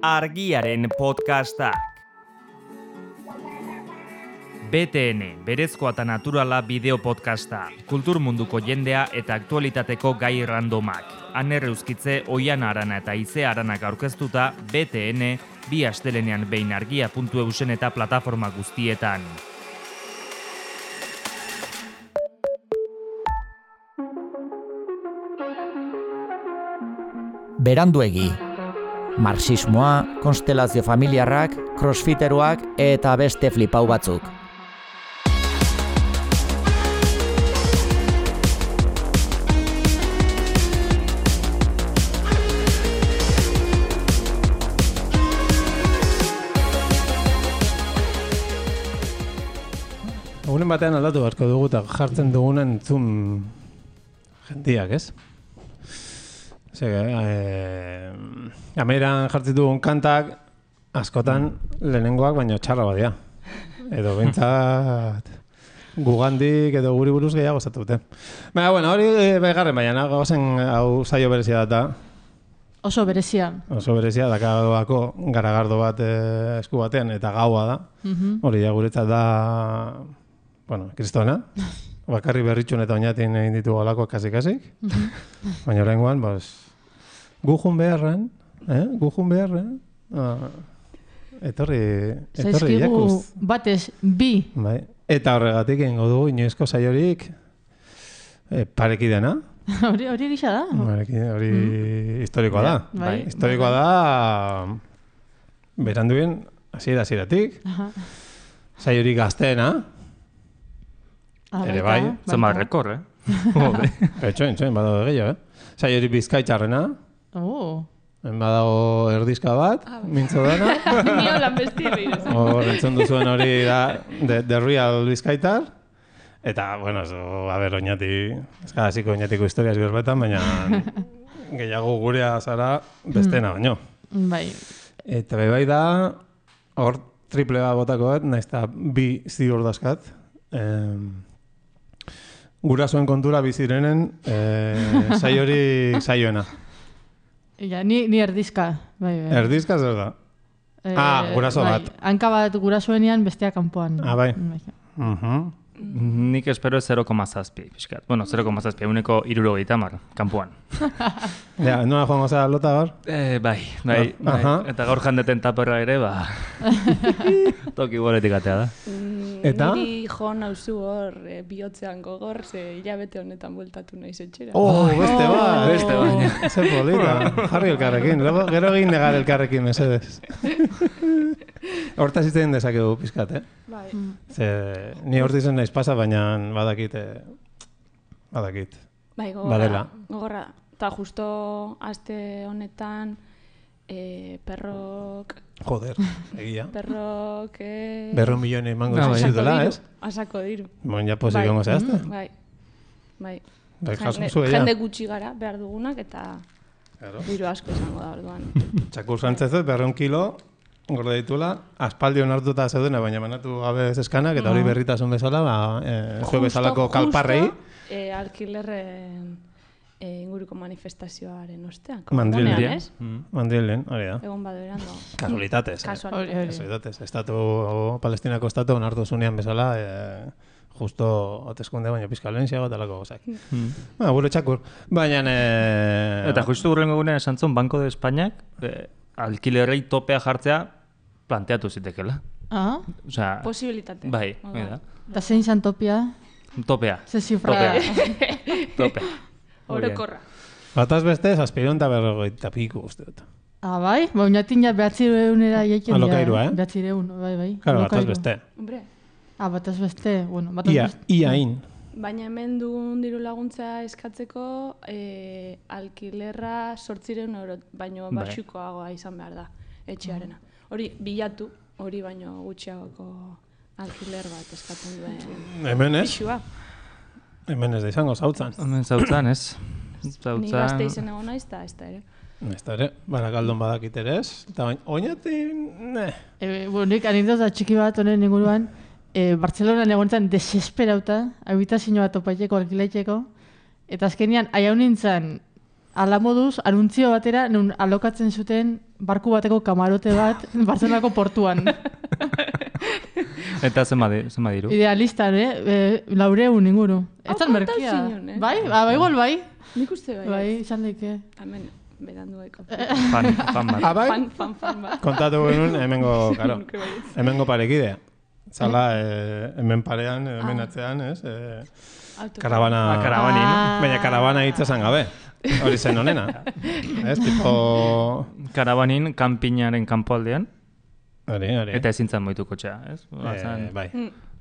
Argiaren podcastak. BTN, berezkoa eta naturala bideo podcasta, kultur munduko jendea eta aktualitateko gai randomak. Aner Euskitze, Oiana Arana eta Ize Aranak aurkeztuta, BTN, bi astelenean behin argia.eusen eta plataforma guztietan. Beranduegi. Marxismoa, konstelazio familiarrak, crossfiteruak eta beste flipau batzuk. Egunen batean aldatu beharko dugu eta jartzen dugunen entzun jendiak, ez? Ameran jartzen dugun kantak askotan lehenengoak baino txarra badia. Edo bintzat gugandik edo guri buruz gehiago zatu dute. Baina, bueno, hori begarren baina, gauzen hau saio berezia data. Oso berezia. Oso berezia, dakabako garagardo bat esku batean eta gaua da. Hori ja guretzat da, bueno, kristona. Bakarri berritxun eta oinatin egin ditugu alako kasik-kasik. Baina oraingoan, gujun beharren, etorri jakuz. Batez, bi. Bai. Eta horregatik egingo dugu inoizko saiorik pareki dena. Hori gisa da. Hori historikoa da. Bai. Historikoa da, beranduen hasieratik. Saiorik gazteena. Ere bai. Zama rekor, Etxoen, badago gehiago, Saiorik bizkaitxarrena. Badago erdizka bat, mintzo dana. Nio lan bestia behirez. Entzun duzuen hori da, The Real Bizkaitar. Eta, bueno, oinati, eskadaziko oinatiko historiaz gerbetan, baina gehiago gurea zara bestena baino. Bai. Eta bai da, hor triple bat botako bat, nahiz eta bi ziur dazkat. Gurasoen kontura bizirenen saioena. Ja, ni erdizka. Bai. Erdizka zer da? Guraso bat. Hanka bat gurasoenean bestea kanpoan. Bai. Nik espero 0,7 pixkat. Bueno, 0,7, uneko 70 kanpoan. Ja, nola joango zara lota gaur? Bai. Eta gaur jandeten taperra ere, toki boletik atea da. Eta? Niri jo nauzu hor bihotzean gogor, ze hilabete honetan bueltatu naiz etxera. Beste bat. Ze polita. Jarri elkarrekin. Gero egin negar elkarrekin, mesedez. Hortaz izten dezakegu pizkat, Bai. Ze, ni hortizen naiz pasa, baina badakit. Bai, gogorra. Eta justo aste honetan perrok... Joder, egia. Perrok... 100 milione emango zizutela, ez? Asako diru. Bon, ja posik gongo zehazte? Bai. Jende gutxi gara behar dugunak eta diru asko izango da orduan. Txakur zantzezet, 100 kilo, gorde ditula, aspaldi onartuta zeudena, baina manatu gabe zeskanak, eta hori berritasun bezala, jo bezalako kalparrei. Alkilerren inguruko manifestazioaren ostean. Mandrilen, hori da. Egon badu erando. Kasualitatez. Kasualitatez. Palestinako estatu onartu zunean bezala, justo hauteskunde baina pizkalenziago eta lako gozak. Gure txakur. Baina... Eta justu hurrengo gunean esan zuen, Banco de Españak alkilerrei topea jartzea planteatu zitekela. Posibilitate. Bai, da. Eta zein zan topea? Topea. Ze zifra. Topea. Orokorra. Bataz beste, 750 piku uste dut. Bai? Oinatin ja 900 jaiken dira. Alokairua, 900, bai. Claro, bataz beste. Hombre. Bataz beste, bueno. Iain. Baina hemen duen diru laguntza eskatzeko alkilerra 800 euro, baino baxukoagoa izan behar da, etxearena. Hori bilatu, hori baino gutxiagoko alkiler bat eskatzen duen. Hemen ez? Pixua. Hemen ez da izango, zautzan. Hemen zautzan, ez? Ni gazte izen egon naiz, eta ez da ere. Ez da ere, Barakaldon badakit ere ez. Eta baina, oinatin, Nik anitaz da txiki bat honen inguruan, Bartzelonan egontzen desesperauta, habitazio bat topaiteko, alkilaiteko, eta azkenean, aiau nintzen, ala moduz, anuntzio batera, nun alokatzen zuten barku bateko kamarote bat Bartzelonako portuan. Eta zenba diru? Idealistan, 400 inguru. Etzan merkia. Zinon, eh? Bai, igual bai. Nik uste bai. Bai, izan daike. Hemen, berandueko. Fan bat. Bai? Fan bat. Kontatu genuen, hemengo parekidea. Zala, hemen parean, hemen atzean, ez? Karabana... Karabanin. Baina karabana hitza esan gabe. Hori zen honena. Ez, tipo... Karabanin, kanpinaren kanpoaldean. Hori. Eta ezintzen moitu kotxea, ez? Bai.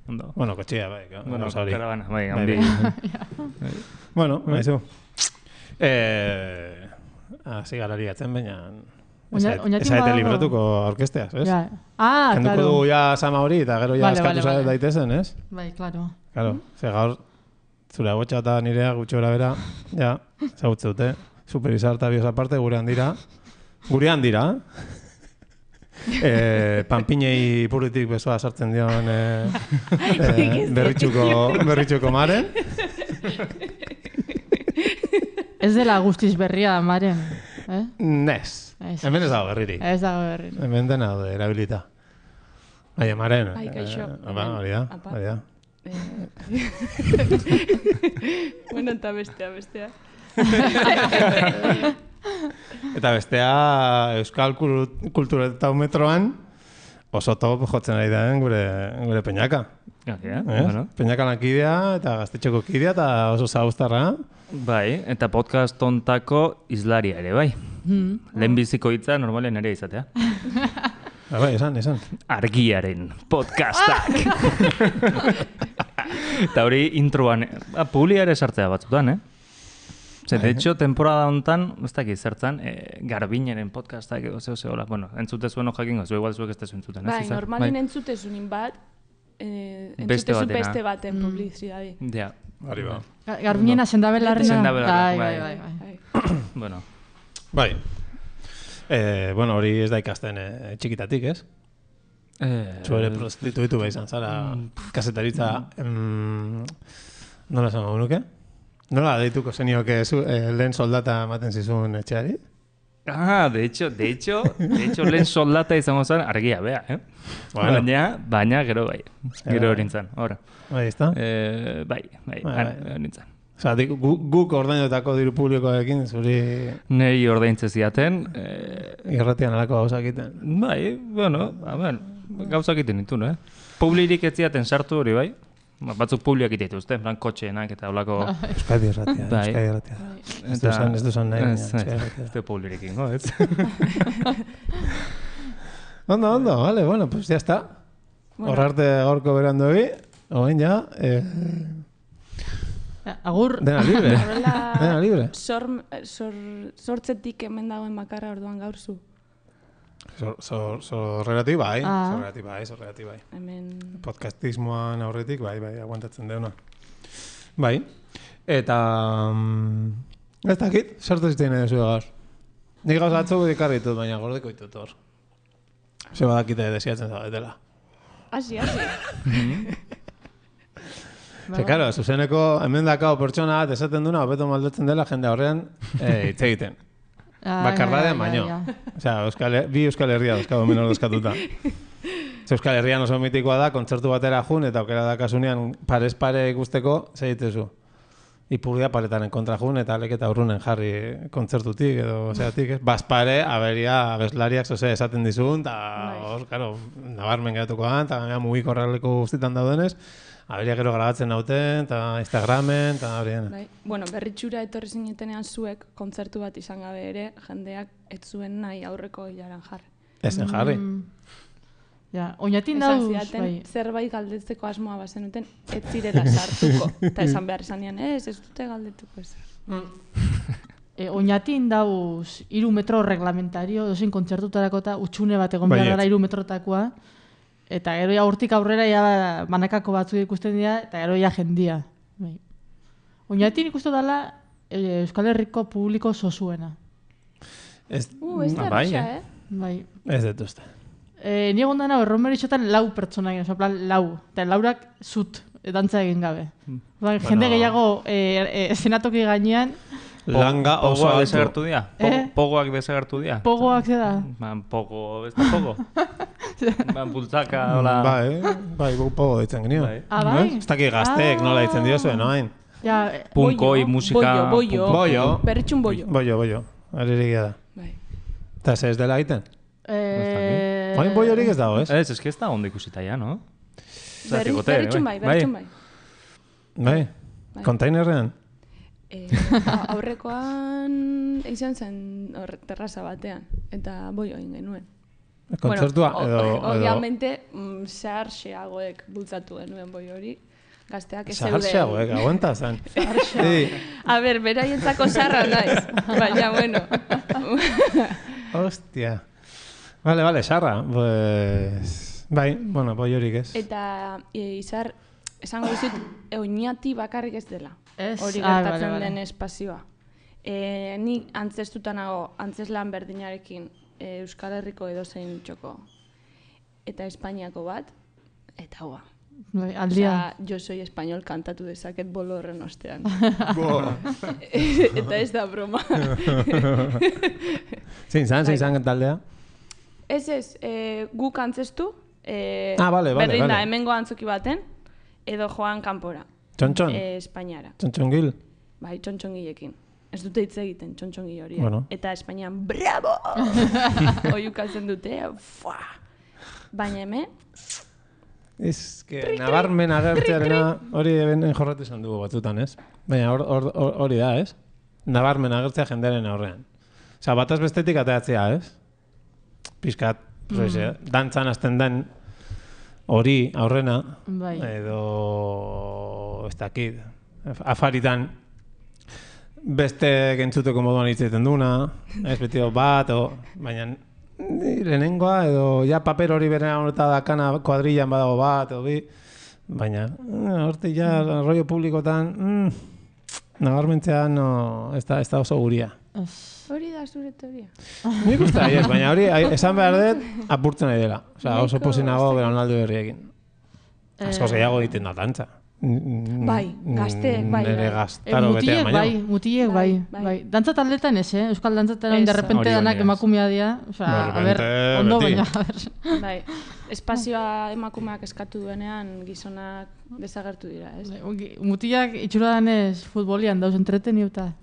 Ondo. Bueno, kotxea, bai. Bueno, hori. karabana, bai, handi. Bueno, maizu. Hasi garari atzen, baina... Ezaete libratuko orkesteaz, ez? Ja. Kenduko Claro. dugu ja sama hori, eta gero ja eskatu Vale. daitezen, ez? Bai, claro. Claro, ze gaur, zure agotxa eta nirea gutxi gora bera, ja, zagutze dute, superizar eta bios aparte, gurean dira, panpinei puritik besoa sartzen dion berritxuko maren. Ez dela guztiz berria, Maren. Nez, hemen ez dago berririk. Ez dago berririk. Hemen dena daude, erabilita. Baina, maren. Ai, kaixo. Hori da. Bueno, eta bestea. Eta bestea, Euskal Kulturetometroan oso top jotzen ari da gure Peñaka. Bueno. Peñaka lankidea eta gaztetxeko kidea eta oso zagustarra. Bai, eta podcast ontako izlaria ere, bai. Lehenbiziko hitza normalen ere izatea. Bai, esan. Argiaren podcastak. Eta hori introan, publia ere sartzea batzutan, Ze, de hecho, temporada hontan, ez dakit zertzan, Garbineren podcastak edo zeo, bueno, entzute zuen jakingo, igual zuek ez tezu entzuten, ez? Bai, normalin entzutezunin bat, entzutezu beste baten publizidadi. Ja. Hori ba. Garbinena sendabelarrena. Sendabelarrena, Bai. Bueno. Bai. Bueno, hori ez da ikasten txikitatik, ez? Zuere prostituitu behar izan zara, kasetaritza, nola esan nuke? Nola deituko zenioke lehen soldata ematen zizun etxeari? De hecho, lehen soldata izango zen argia, bea, Bueno. Baina gero bai, gero hori nintzen, ora. Bai, ezta? Bai, hori nintzen. Osa, guk ordainotako diru publikoekin zuri Nei ordaintze ziaten. irratian alako gauzak egiten. Bai, bueno, gauzak egiten ditu, Publirik ez ziaten sartu hori, bai. Batzuk publiak egiten dituzte, plan kotxeenak eta holako... Euskadi irratia, Bai. Euskadi irratia. Ez duzan nahi, baina. Ez du publirik ingo, ez? Ondo, vale, bueno, pues ya está. Horrarte gaurko berandogi, oen ja, Agur. dena libre. Dena libre. Sortzetik hemen dagoen bakarra orduan gaur zu. Zorreratik bai, zorreratik bai. Hemen... Podcastismoan aurretik, bai, aguantatzen deuna. Bai, eta... ez dakit, sartu zitein edo zuen gaur. Nik gauz atzoko dikarritut, baina gordeko ditut hor. Ze badakite desiatzen zaudetela. Asi. Ze, karo, zuzeneko hemen dakao pertsona bat esaten duna, hobeto maldatzen dela jende horrean hitz egiten. Bakardadean baino. Osea, bi Euskal Herria dauzkago hemen ordezkatuta. Euskal Herrian oso mitikoa da, kontzertu batera jun, eta aukera dakasunean parez pare ikusteko, zegitezu. Ipurdia paretaren kontra jun, eta leketa urrunen jarri kontzertutik, edo zeatik, ez? Bazpare, aberia, abeslariak zoze esaten dizun, eta hor, karo, nabarmen geratuko da, eta mugiko horreleko guztitan daudenez, aberia gero grabatzen nauten, eta Instagramen, eta horien. Bai. Bueno, berritxura etorri zinetenean zuek, kontzertu bat izan gabe ere, jendeak ez zuen nahi aurreko hilaran jarri. Ezen jarri. Ja, oinatin Esan dauz, zidaten, bai. zerbait galdetzeko asmoa bazenuten, ez zirela sartuko. Eta esan behar izanean, ez dute galdetuko ezer. Oinatin dauz 3 metro reglamentario, dozin kontzertutarako eta utxune bat egon behar gara 3 metrotakoa. Eta gero ja hortik aurrera ja banakako batzuk ikusten dira, eta gero ja jendia. Bai. Oinatin ikustu dela Euskal Herriko publiko zozuena. Ez da erresa, Bai. Ez dut uste. Ni egon dana erromeritxotan 4 pertsona egin, plan 4. Eta 4ak zut, dantza egin gabe. Jende gehiago zenatoki gainean. Langa oso altu. Desagertu dira? pogoak desagertu dira? Pogoak zeda. Pogo, ez da pogo? Bultzaka, hola... Bai, pogo ditzen genio. Bai? Ez dakik gazteek nola ditzen diozue, no hain? Punkoi, musika... Boio. Berritxun boio. Boio. Aririk da. Bai. Eta ez dela egiten? Hain boiorik ez dago, ez? Ez que ez da ondo ikusita ya, no? Berritxun bai. Bai, kontainerrean? Aurrekoan izan zen terraza batean, eta boio egin genuen. Kontzertua edo... Obviamente, zehar-xeagoek bultzatu genuen boi hori, gazteak ez zeuden. Zehar-xeagoek, aguanta zen. A ber, beraientzako zarra naiz, baina, bueno. Hostia. Vale, sarra. Pues... Bai, bueno, boi horik ez. Eta izar, esango dizut, oinati bakarrik ez dela. Ez? Hori gertatzen den espazioa. Ni antzestutanago, antzeslan berdinarekin, Euskal Herriko edozein txoko eta Espainiako bat, eta hoa. Aldia. Jo soy español kantatu dezaket bolo horren ostean. Eta ez da broma. Zein zan taldea? Ez, guk antzestu, vale. berdin da, hemengo antzoki baten, edo joan kanpora. Txontxon? Espainiara. Txontxongil? Bai, txontxongilekin. Ez dute hitz egiten, txontxongi horiek. Bueno. Eta Espainian, bravo! Oiukatzen dute, fuaa! Baina hemen... Ez que nabarmen agertzearena hori eben jorratu izan dugu batzutan, ez? Baina hori da, ez? Nabarmen agertzea jendearen aurrean. Osa, bataz bestetik ateatzea, ez? Piskat, dantzan azten den hori aurrena, edo ez dakit, afaritan beste gentzuteko moduan hitz egiten duna, ez beti bat, baina lehenengoa, edo ja paper hori bere horreta dakana kuadrillan badago bat, edo bi, baina horte ja rollo publikotan nabarmentzea ez da oso guria. Hori da zure teoria. Nik uste ez, baina hori esan behar dut apurtzen nahi dela. Oso pozinago belaunaldi berriekin. Asko gehiago egiten da dantza. Bai, gazteek, bai. Nere gaztaro betean baina. Mutilek bai. Dantza taldetan ez, Euskal dantzatan de repente danak emakumea dira. A ber, ondo baina, a ber. Bai, espazioa emakumeak eskatu duenean gizonak desagertu dira, ez? Mutilak itxura danez futbolian dauz entreteniuta.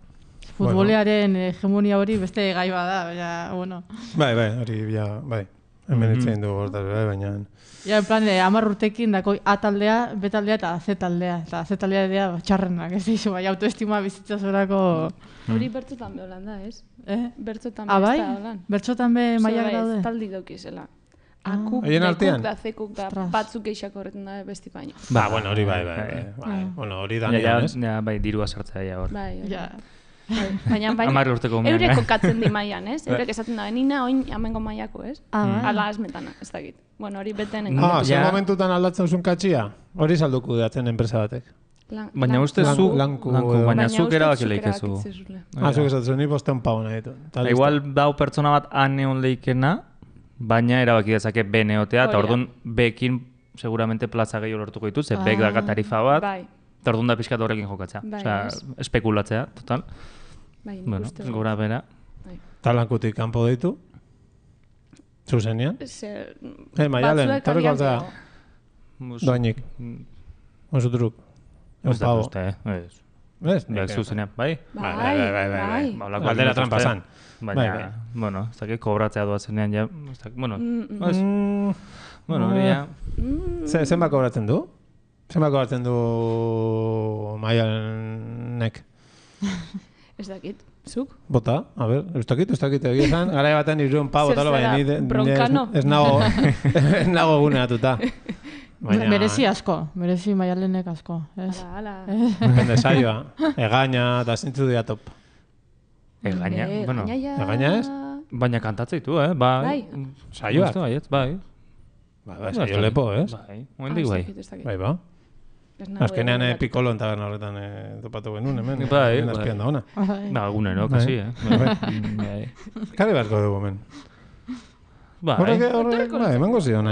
Futbolearen hegemonia hori beste gai bada, baina, bueno. Bai, hori, bai. Hemen itzen dugu hortaz, baina... Ja, en plan, 10 urtekin dako A taldea, B taldea eta C taldea. Eta C taldea dira txarrenak, ez dizu, bai, autoestima bizitza zorako... Hori bertzotan beholan da, ez? Bertzotan bai? beholan. Bertzotan be maiak daude? Taldi daukizela. Akuk, dekuk da, zekuk da, batzuk eixak horretan da besti baino. Bueno, hori bai. Bueno, hori da nian, ez? Bai, dirua sartzea hor. Bai, baina eurek kokatzen di maian, ez? Eurek esaten da, nina oin amengo maiako, ez? Ala asmetana, ez dakit. Bueno, hori beten... Zer momentutan aldatzen zuen katxia? Hori salduku datzen enpresa batek. Baina uste zu... Baina zuk erabaki lehikezu. Zuk esatzen, ni bostean pau nahi ditu. Igual dau pertsona bat aneon lehikena, baina erabaki dezake B neotea, eta orduan B-ekin seguramente plaza gehiago lortuko dituz, ze B-ek daka tarifa bat, eta orduan da pixkat horrekin jokatzea. Osea, espekulatzea, total. Bueno, gora bera. Talankutik kanpo ditu? Zuzenian? Maialen, torriko altzea. Doainik. Osutruk. Ez da uste, Ez? Zuzenean, bai? Bai. Aldera trampazan. Baina, bueno, ez dakit kobratzea doazenean, ja, bueno, hori ja. Zenba kobratzen du? Zenba kobratzen du Maialenek? Ez dakit. Zuk? Bota, a ber, ez dakit, egia esan, gara batean 300 pau, baina ez nago guneatuta. Merezi asko, merezi Maialenek asko. Ala. Depende saioa, egaina eta zintzu dira top. Egaina, bueno. Egaina ez? Baina kantatzea ditu, bai. Saioak? Bai. Bai, saio lepo, ez? Bai, momentik bai. Bai, ba. Azkenean Piccolo en taberna horretan topatu genuen, hemen. Bai. Azpian da ona. Ba, egunero, kasi, Kari beharko dugu, hemen. Bai. Horrek, emango zion,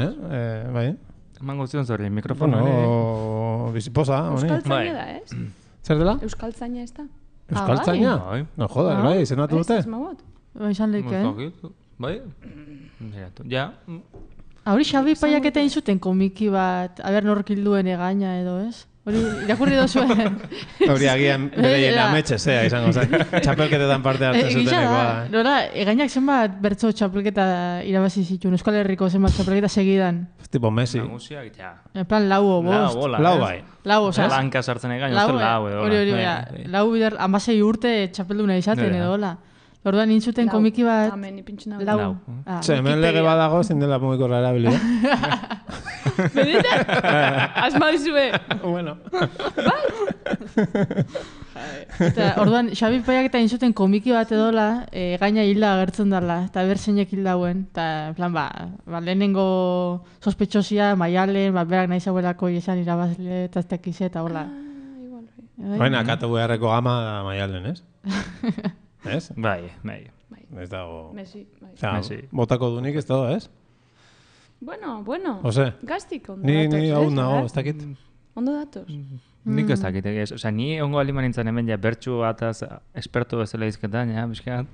bai. Emango zion zorri, mikrofono. Bueno, biziposa, honi. Euskaltzaina da, ez? Zer dela? Euskaltzaina ez da? Euskaltzaina? No, joder, bai, zenatu dute? Ez, izan leke, Bai? Ja. Hori Xabi Paiak eta inzuten komiki bat, aber nork hilduen egaina edo, ez? Hori irakurri dozuen. Hori agian bereien ametxezea izango zen. Txapelketetan parte hartzen zutenekoa. Nora, egainak zenbat bertso txapelketa irabazi zituen, Euskal Herriko zenbat txapelketa segidan. Tipo Messi. Nagusiak, ja. En plan, lau o bost. Lau bai. Lau, oza. Lanka sartzen egain, uste lau edo. Hori, lau bider, 16 urte txapelduna izaten edo, hola. Orduan intzuten komiki bat... Amen, ipintxuna. Lau. Hemen lege badago, zindela mugikorra erabili. Bedita? Asma dizue. Bueno. Eta orduan, Xabi Paiak eta intzuten komiki bat edola, gaina hilda agertzen dela, eta berzeinek hildauen. Eta, en plan, lehenengo sospetxosia, Maialen, berak nahi zauelako izan irabazle, eta ez dakize, eta hola. Baina, katu beharreko gama da Maialen, ez? Ez? Bai. Ez dago... Messi, bai. Messi. Botako dunik ez dago, ez? Bueno. Ose? Gaztik ondo datoz. Ni hau nago, ez dakit. Ondo datoz. Nik ez dakit, ez. Osa, ni ongo aliman nintzen hemen ja bertxu bataz espertu bezala izketan, ja, bizkat.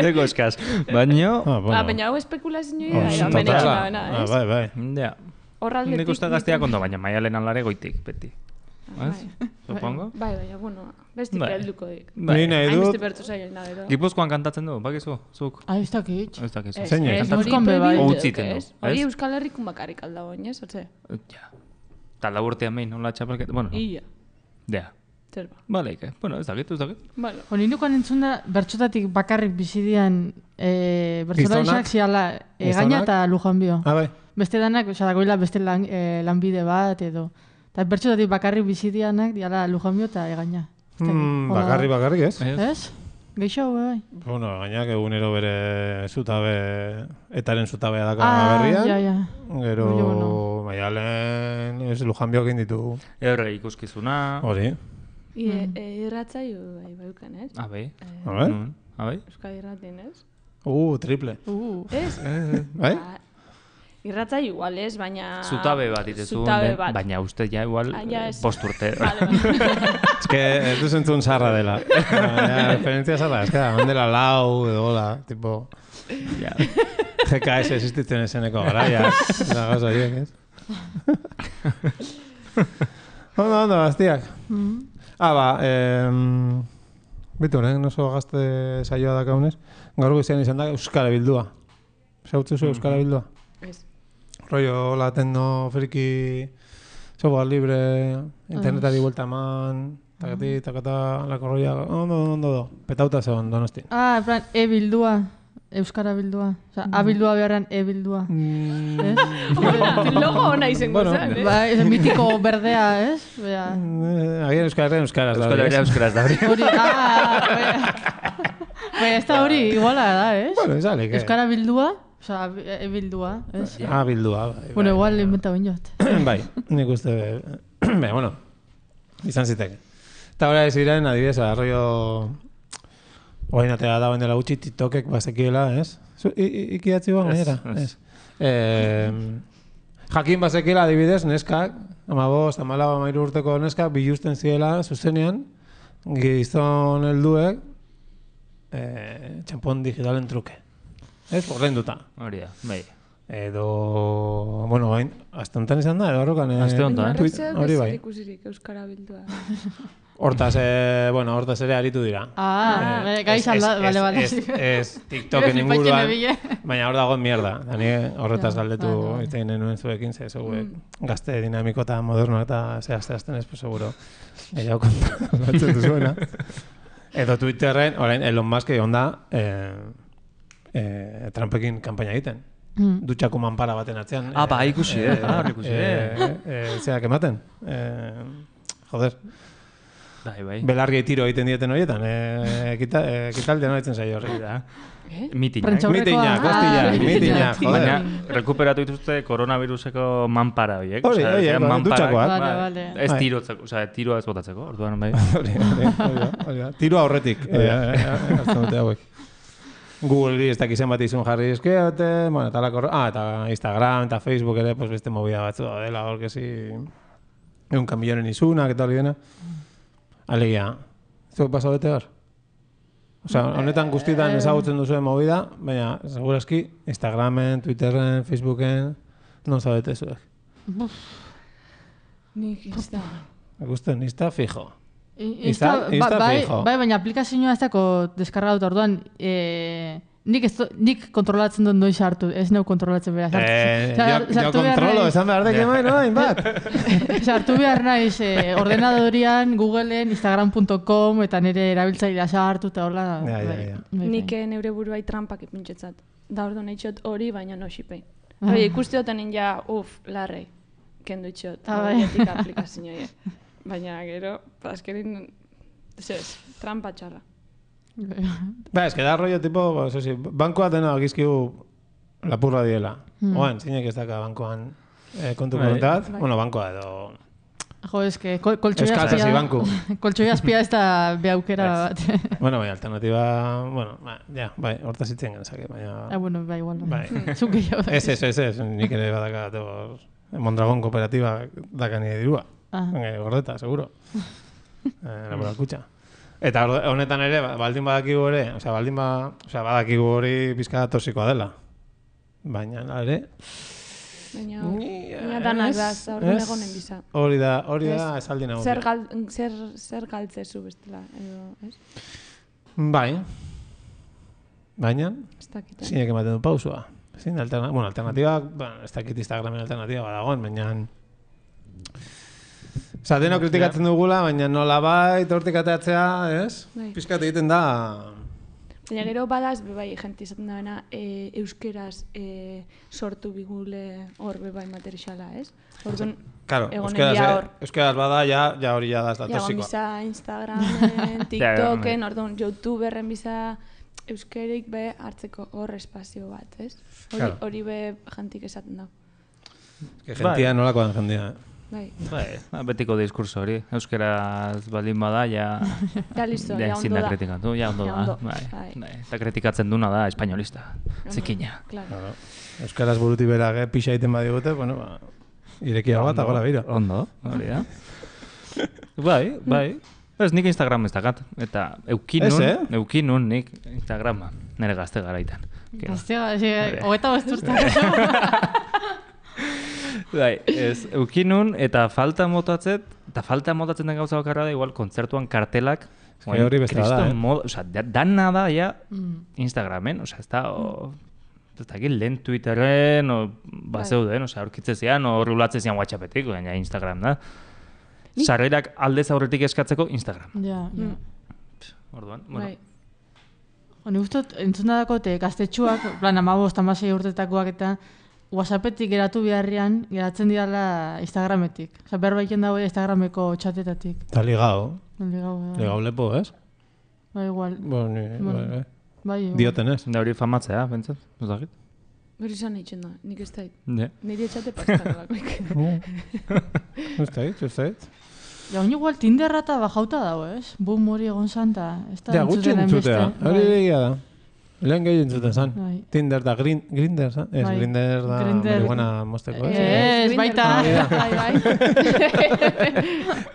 Deko eskaz. Baina... Baina hau espekulazioa da, hemen itxuna bena, ez? Bai. Ja. Horraldetik... Nik uste gazteak ondo, baina Maialen alare goitik, beti. Supongo? Bai, bueno, bestik helduko dik. Ni nahi dut... Hainbeste bertu zaila nahi dut. Gipuzkoan kantatzen du, bakizu, zuk? Ez dakit. Ez dakizu. Zeinek? Gipuzkoan bebai. Utziten du. Hori Euskal Herrikun bakarrik aldago, ez? Otze? Ja. Ta laburtean behin, hola txapelket, bueno. Ia. Ja. Zerba. Bale, bueno, ez dakit. Bueno. Hori nukoan entzun da, bertxotatik bakarrik bizidian bertxotarizak ziala egaina eta Lujanbio. Bai. Beste danak, dagoela beste lanbide bat edo. Eta bertxotatik bakarrik bizidianak diala Lujanbio eta egaina. Bakarrik ez? Ez? Geixo, bai. Bueno, gainak egunero bere zutabe, etaren zutabea daka berrian. Ja. Gero, Maialen, ez Lujanbio egin ditu. Erre ikuskizuna. Hori. Irratzaio bai baukan, ez? Abai. Abai? Euskal Irratin, ez? Triple. Ez? Bai? Irratzaio igual, ez? Baina... Zutabe bat itezu, baina uste ja igual bost urte. Ez que ez du zentzun zarra dela. Referentzia zarra, ez que da, mandela lau edo hola, tipo... GKS existitzen eseneko garaia. Da gauza horiek, ez? Ondo, gaztiak. Bitu, oso gazte saioa dakaunez. Gaur goizean izan da Euskara Bildua. Zautzu zu Euskara Bildua? Ez. Rollo, la tecno, friki, software libre, internetari vuelta eman, takata, lako rolla, ondo, petauta zegoen Donosti. En plan, e-bildua, Euskara Bildua. Osa, a-bildua beharren e-bildua. Logo hona izango zen, ez? Bai, ez mitiko berdea, ez? Agian euskaraz da hori. Euskaraz da hori. Bai, ez da hori, iguala da, ez? Bueno, izalik, Euskara Bildua, osa, e-bildua, ez? Bildua, bai. Bueno, igual inventa ben jot. Bai, nik uste, bueno, izan ziteke. Eta hori ziren, adibidez, arroio... Oain atea da baina gutxi TikTokek bazekiela, ez? Ikidatzi guan gainera? Ez. Jakin bazekiela adibidez, neskak, 15, 14 urteko neskak, bilusten ziela, zuzenean, gizon helduek, txampon digitalen truke. Ez? Ordainduta. Hori da, bai. Edo, bueno, bain, azte honetan izan da, edo horrokan... Azte honetan, hori bai. Ikusirik Euskara Bildua. Hortaz ere aritu dira. Gai izan da, bale. Ez TikToken inguruan, baina hor dagoen mierda. Dani horretaz galdetu egiten nuen zuekin, ze zuek gazte dinamiko eta moderno eta zehazten ez, pues seguro. Gehiago kontatzen duzuena. Edo Twitterren, orain, Elon Musk egon da Trumpekin kanpaina egiten. Dutxako manpara baten atzean. Ikusi, zeak ematen. Joder. Bai. Belarriei tiro egiten dieten horietan. Ekitaldean horitzen zaio horri da. Mitinak, joder. Baina, rekuperatu dituzte koronaviruseko manpara horiek. Hori, dutxakoak. Ez tirotzeko, tiroa ez botatzeko, orduan bai. Hori, tiroa horretik. Hartzen dute hauek. Google ez dakizen bat izun jarri eskeate, bueno, eta Instagram eta Facebook ere, pues beste movida batzu da dela, horke si... Egun kamillonen izunak eta hori dena. Alegia, zuek paso bete hor? Osea, honetan guztietan ezagutzen duzuen movida, baina, segurazki, Instagramen, Twitterren, Facebooken, non zabete zuek. Nik Insta. Gusten, Insta fijo. Insta fijo. Bai, baina aplikazioa ez dako deskargatu orduan, nik kontrolatzen dut noiz hartu, ez neu kontrolatzen behar. Jo kontrolo, esan behar dek emain, noain bat. Sartu behar naiz, ordenadorian, Googleen, Instagram.com, eta nire erabiltzailea sartu eta hola. Nik neure buruai trampak ipintxetzat. Da orduan eitxot hori, baina no xipei. Ikusti doten ja, larrei, kendu itxot, horietik aplikazioa. Baina gero, azkerin, trampa txarra. Ba, es que da rollo tipo, eso sí, bankoa dena agizkiu lapurra diela. Oan, zinek ez daka bankoan kontu kontat, bueno, bankoa edo... Jo, es que koltxoi azpia ez da behaukera bat. Bueno, bai, alternatiba, bueno, ja, bai, hortaz itzen genezake, baina... Bueno, bai, igual, zuke jo. Ez, nik ere badaka, Mondragon kooperatiba daka nire dirua. Gordeta, seguro. Laboral kutxa. Eta honetan ere, baldin badakigu ere, badakigu hori pizka toxikoa dela. Baina, ere... Baina danak da, horren egonen biza. Hori da, esaldi nagokia. Zer galtzezu bestela, edo, ez? Bai. Baina, zinek ematen du pausua. Alternatiba, ez dakit Instagramen alternatiba badagoen, baina... Osa, deno kritikatzen dugula, baina nola bait hortik ateatzea, ez? Piskat egiten da... Baina gero badaz, bai, jenti izaten dagoena, euskeraz sortu bigule hor bebai materiala, ez? Orduan, euskeraz bada, ja hori ja da ez da tosikoa. Ja, biza Instagramen, TikToken, orduan, YouTuberren biza euskerik be hartzeko hor espazio bat, ez? Hori be jentik esaten da. Gentia nolakoan jentia, Bai, betiko diskurso hori. Euskeraz baldin bada, ja listo, ja ondo da. da. Kritikatu, ja ondo da. Eta kritikatzen duna da espainolista. Zekina. Euskaraz buruti berak pixa egiten badigute, bueno, irekia bat, agora bira. Ondo, hori da. Bai. Ez, nik Instagram ez dakat. Eta eukinun nik Instagrama. Nere gazte garaitan. Gazte hogeta bosturtak. Bai, ez, eukinun eta falta motatzen den gauza bakarra da, igual, kontzertuan kartelak, hori beste da, Osa, dana da, ja, Instagramen, osa, ez da, ez da, lehen Twitterren, bazeuden, osa, aurkitze zian, rulatzen zian WhatsAppetik, baina Instagram da. Sarrerak aldez aurretik eskatzeko Instagram. Ja. Orduan, bueno. Honi guztot, entzuna dako, gaztetxuak, plan, 15-16 urtetakoak eta WhatsAppetik geratu beharrian, geratzen dira Instagrametik. Osa, behar baiken dago Instagrameko txatetatik. Eta ligao. Ligao lepo, ez? Bai, igual. Bai. Dioten ez. Da hori famatzea, bentsat, ez dakit? Hori izan eitzen da, nik ez dait. Niri etxate pastan alakoik. Ez dait. Ja, honi igual Tinderra eta bajauta dago, ez? Boom hori egon zanta. Ja, gutxi entzutea. Hori egia da. Lehen gehi entzuten zan. Tinder da Grindr, zan? Ez, Grindr da marihuana mosteko. Ez, baita.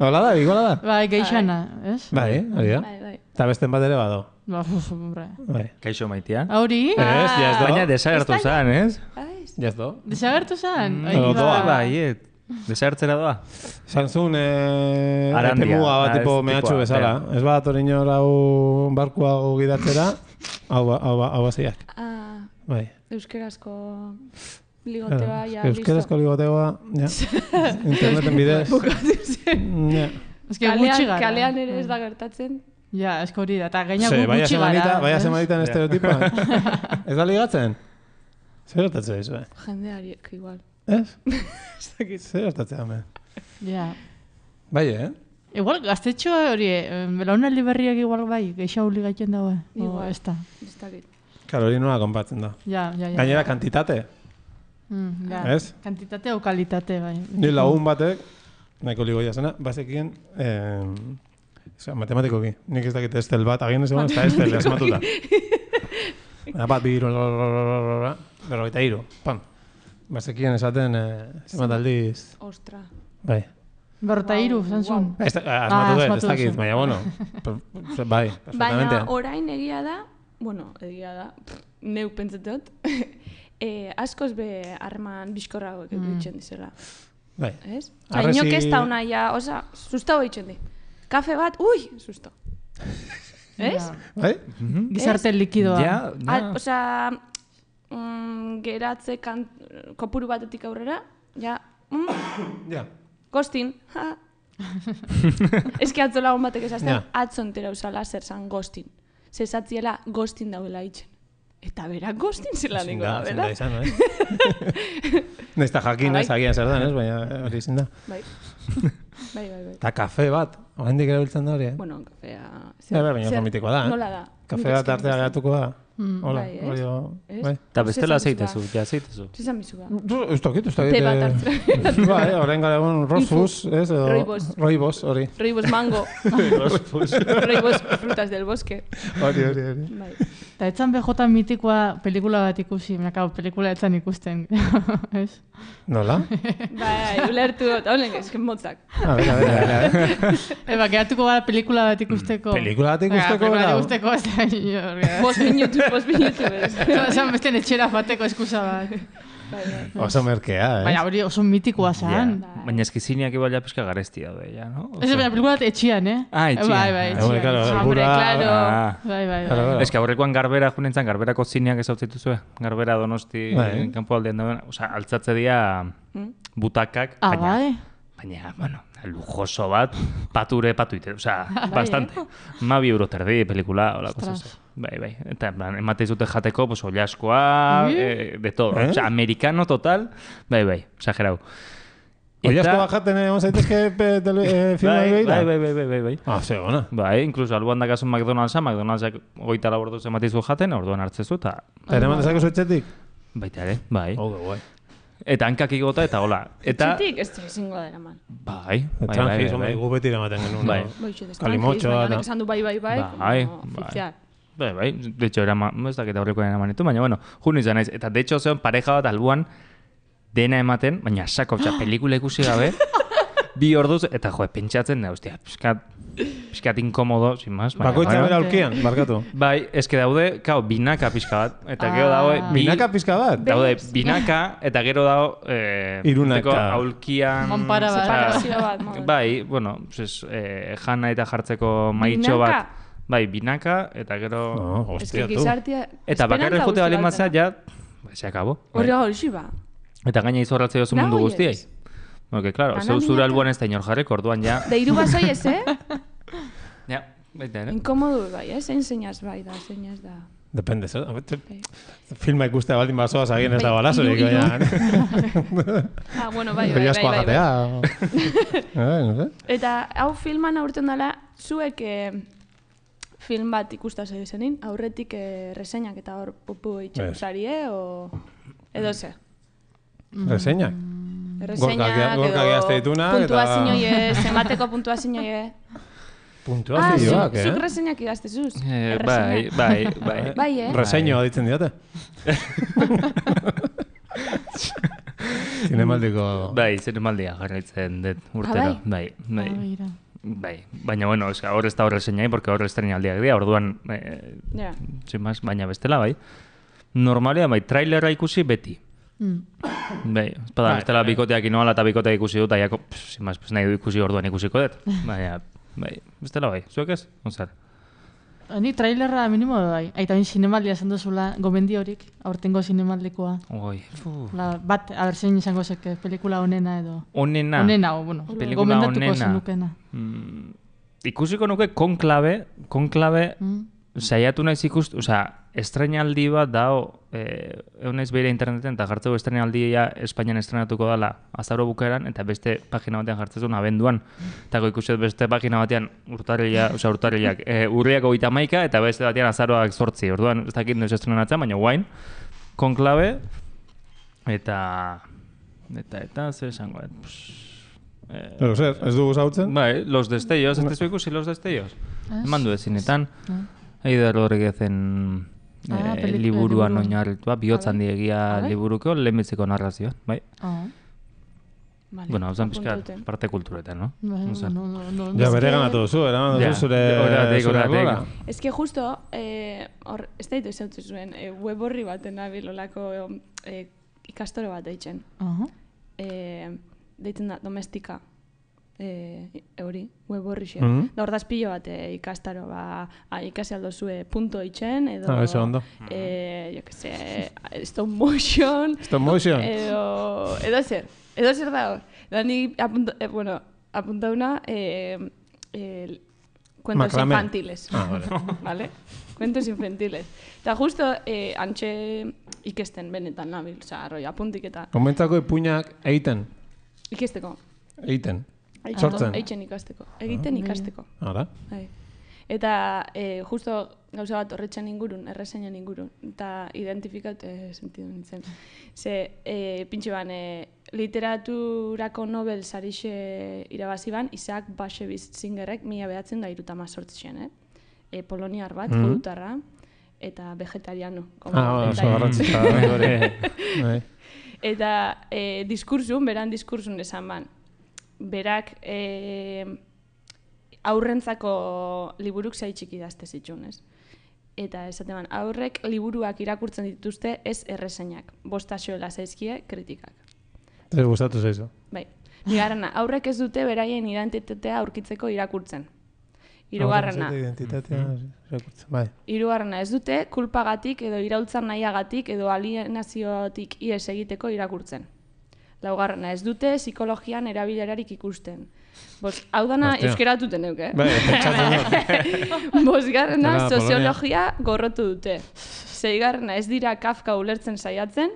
Hola da, iguala da? Bai, geixana, ez? Bai, hori da. Eta besten bat ere bado. Kaixo maitea. Hori? Ez, jazdo. Baina desagertu zan, ez? Jazdo. Desagertu zan? Bai, desagertzera doa. Zantzun, epemuga bat tipo mehatxu bezala. Ez bat orinor hau barkua gidatzera, hau baziak. Bai. Euskerazko ligoteoa, ja, listo. Euskerazko ligoteoa, ja. Interneten bidez. Bukatu zen. Kalean ere ez da gertatzen. Ja, esko hori da, eta gainak gutxi gara. Baina semanita en estereotipa. Ez da ligatzen? Zer gertatzen dizu, Jendeariek, igual. Ez? Zer gertatzen, hemen? Ja. Bai, Igual, gaztetxoa hori, belaunaldi berriak igual bai, geixau ligatzen dago, ez da. Karo, hori nola konpatzen da. Ja. Gainera, kantitate. Ez? Kantitate o kalitate, bai. Ni lagun batek, nahiko ligoia zena, bazekien, matematikoki, nik ez dakit estel bat, agien ez egon, ez da estel, asmatuta. Bat, bi, berrogeita hiru, pam. Bazekien esaten, zemat aldiz. Ostra. Bai. 53, zantzun. Asmatu dut, ez dakit, baina, bueno, bai, perfectamente. Baina orain egia da, neu pentsatot, askoz be harreman bizkorrago egiten dizela. Bai. Ez? Inok ez da una ja, oza, susto egiten di. Kafe bat, ui, susto. Ez? Bai? Gizarte likidoa. Ja. Oza, geratze kopuru batetik aurrera, ja, Ja. Gostin. Ez que atzo lagun batek esazten, atzo entera usala zer zan Gostin. Zezatziela Gostin dauela itxen. Eta berak Gostin zela niko da, bera? Zinda izan, Nesta jakin ez, agian zer dan, ez? Baina hori izin da. Bai. Eta kafe bat, oraindik erabiltzen da hori, eh? Bueno, kafea... Baina komitikoa da, eh? Nola da? Kafe bat artea geratuko da. Hola, bai. Eta bestela zeitezu, ja zeitezu. Zizan bizuga. Ez dakit. Te bat hartzera. Bai, orain gara egun Rosfus, ez? Roibos, hori. Roibos mango. Roibos frutas del bosque. Hori. Eta etzan BJ mitikoa pelikula bat ikusi, pelikula etzan ikusten, ez? Nola? Bai, ulertu dut, honen ezken motzak. Bera. Eba, geratuko gara pelikula bat ikusteko. Pelikula bat ikusteko, bera? Pelikula bat ikusteko, ez da, Post minutu, ez. Esan bestean etxera fateko eskusa bat. Oso merkea, eh? Baina hori oso mitikoa zan. Baina eskizineak igual ja pizka garesti daude, ja, no? Ez baina pelikula bat etxian, eh? Etxian. Bai, claro. Ez que aurrekoan Garbera junentzan, Garberako zineak ez hau zituzue. Garbera Donosti, kanpo aldean dauden. Osa, altzatze dira butakak. Baina, bueno, lujoso bat, patu ite. Osa, bastante. €2 terdi pelikula, hola, cosas. Bai. Eta emate izute jateko, pues, ollaskoa, de todo. Osa, americano total. Bai, exagerau. Ollaskoa jaten egon zaitezke filma begira? Bai. Segona. Bai, incluso alboan dakazun McDonald'sak 24 orduz ematizu jaten, orduan hartzezu, eta... Eta eman dezakezu etxetik? Baita ere, bai. Guai. Eta hankak igota, eta hola. Etxetik ez zingo da eraman. Bai. Tranquis, gu beti eramaten genuen. Bai. Kalimotxoa. Baina esan du bai. Bai. De hecho, ez dakit aurrekoen eraman ditu, baina, bueno, jun izan naiz. Eta, de hecho, zeon pareja bat albuan dena ematen, baina sako, pelikula ikusi gabe, 2 orduz, eta pentsatzen da, hostia, piskat inkomodo, sin más. Bakoitza bera aulkian, barkatu. Bai, eske daude, binaka pizka bat, eta gero dago... Binaka pizka bat? Daude, binaka, eta gero dago... Irunaka. Aulkian... Monpara bat. Bai, bueno, jana eta jartzeko maitxo bat. Bai, binaka, eta gero... Hostia, tu. Eta bakarri jote bali mazea, ja... Se acabó. Hori ba. Eta gaina izorratze dozu mundu guztiai. Porque, claro, zure albuan ez da inor jarriko, orduan ja... De hiru basoi ez, Ja, baita, ere. Inkomodu, bai, zein zeinaz bai da, zeinaz da. Depende, zer? Filma ikustea baldin basoaz agien ez da balazorik, baina... Bueno, bai. Oiazkoa jatea. Eta hau filman aurten dela, zuek film bat ikusta zenin, aurretik reseinak eta hor pupu itxeko zarie, edo ze? Reseinak? Reseinak edo puntuazioie, zemateko puntuazioie. Puntuazioak, Zuk reseinak idaztezuz. Bai. Bai, Reseñoa ditzen diote. Zinemaldiko... Bai, zinemaldia jarraitzen dut urtero. Bai. Baina, bueno, hor ez da hor reseinai, porque hor estrenaldiak dira, orduan, baina bestela, bai. Normalia, bai, trailera ikusi beti. Bai, espada, bestela bikoteak inoala eta bikoteak ikusi dut, aiako, nahi du ikusi orduan ikusiko dut. Baina, bai, bestela bai, zuek ez? Onzar? Ni trailerra minimo bai. Aita bin zinemaldia esan duzula, gomendi horik, aurtengo zinemaldikoa. Bat, aber zein izango zeke, pelikula onena edo... Onena? Onena, bueno, gomendatuko zenukena. Ikusiko nuke konklabe, saiatu naiz ikustu, estrenaldi bat dao, naiz behira interneten, eta jartzeko estrenaldia Espainian estrenatuko dela azauro bukaeran, eta beste pagina batean jartzezun abenduan. Eta ikuset beste pagina batean urriak 31, eta beste batean azaroak 8. Orduan, ez dakit noiz estrenatzen, baina guain, konklabe, eta, zer esango, Pero zer, ez dugu zautzen? Bai, Los Destellos, ez tezu ikusi Los Destellos? Eman du ezinetan. Eider Rodriguezen liburuan oinarritua, bihotzan diegia liburuko, lehenbitziko narrazioa, bai. Vale, Bueno, hau zen pixka apuntaute. parte kulturetan, no? No. Ja, bere ganatu duzu, eraman duzu zure Horatik. Ez que justo, ez da ditu zautzen zuen, web horri baten nabil olako ikastore bat deitzen. Deitzen da, domestika. Hori, web horri xe. Da hor da espillo bat ikastaro, ikasi aldo zue punto itxen, edo... eso ondo. Jo que se, stop motion... Edo zer da hor. Da ni apuntauna cuentos infantiles. Vale? Cuentos infantiles. Eta justo antxe ikesten benetan nabil, oza, arroi apuntik eta... Komentzako ipuinak egiten. Ikesteko. Egiten. Sortzen. Eitzen ikasteko. Egiten ikasteko. Ara. Eta justo gauza bat horretxan ingurun, erreseinen ingurun, eta identifikat sentidu nintzen. Ze, pintxe ban, literaturako Nobel sarixe irabazi ban, Isaac Bashevis Singerrek 1918, poloniar bat, judutarra, eta vegetariano. Oso garrantzitza. Eta beran diskursun esan ban, berak aurrentzako liburuk zaitxik idazte zitxun, ez? Eta esaten ban, aurrek liburuak irakurtzen dituzte ez erreseñak, bostaxoela zaizkie kritikak. Ez gustatu zaizu. Bai, bigarrena, aurrek ez dute beraien identitatea aurkitzeko irakurtzen. Hirugarrena. Hirugarrena, ez dute kulpagatik edo iraultzan nahiagatik edo alienaziotik ihes egiteko irakurtzen. Laugarrena, ez dute psikologian erabilerarik ikusten. Hau dana euskeratuten euk, Bosgarrena, soziologia gorrotu dute. Seigarrena, ez dira Kafka ulertzen saiatzen.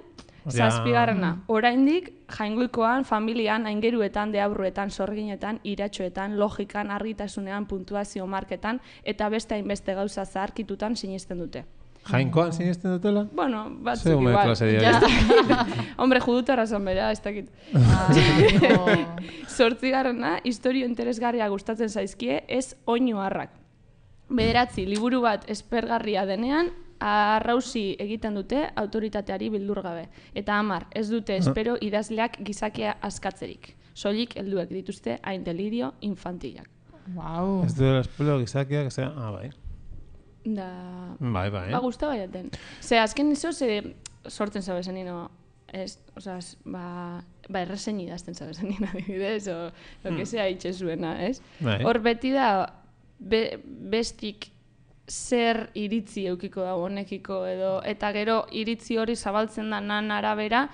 Zazpigarrena, oraindik jaingoikoan, familian, aingeruetan, deabruetan, sorginetan, iratxoetan, logikan, argitasunean, puntuazio marketan eta beste hainbeste gauza zaharkitutan sinisten dute. Jainkoan sinisten dutela? Bueno, batzuk igual. Hombre, judutarra zan bera, ez dakit. Zortzigarrena, historio interesgarria gustatzen zaizkie, ez oinu harrak. Bederatzi, liburu bat espergarria denean, arrausi egiten dute autoritateari bildur gabe. Eta 10, ez dute espero idazleak gizakia askatzerik. Soilik helduek dituzte hain delirio infantilak. Wow. Ez dute espero gizakiak, bai. Da... Bai. Ba, guzta baiaten. Ze, azken izo, sortzen zabezen nino, ez, osaz, errezen idazten zabezen nino, adibidez, o lo que sea itxe zuena, ez? Hor beti da, bestik zer iritzi eukiko da honekiko edo, eta gero iritzi hori zabaltzen da nan arabera,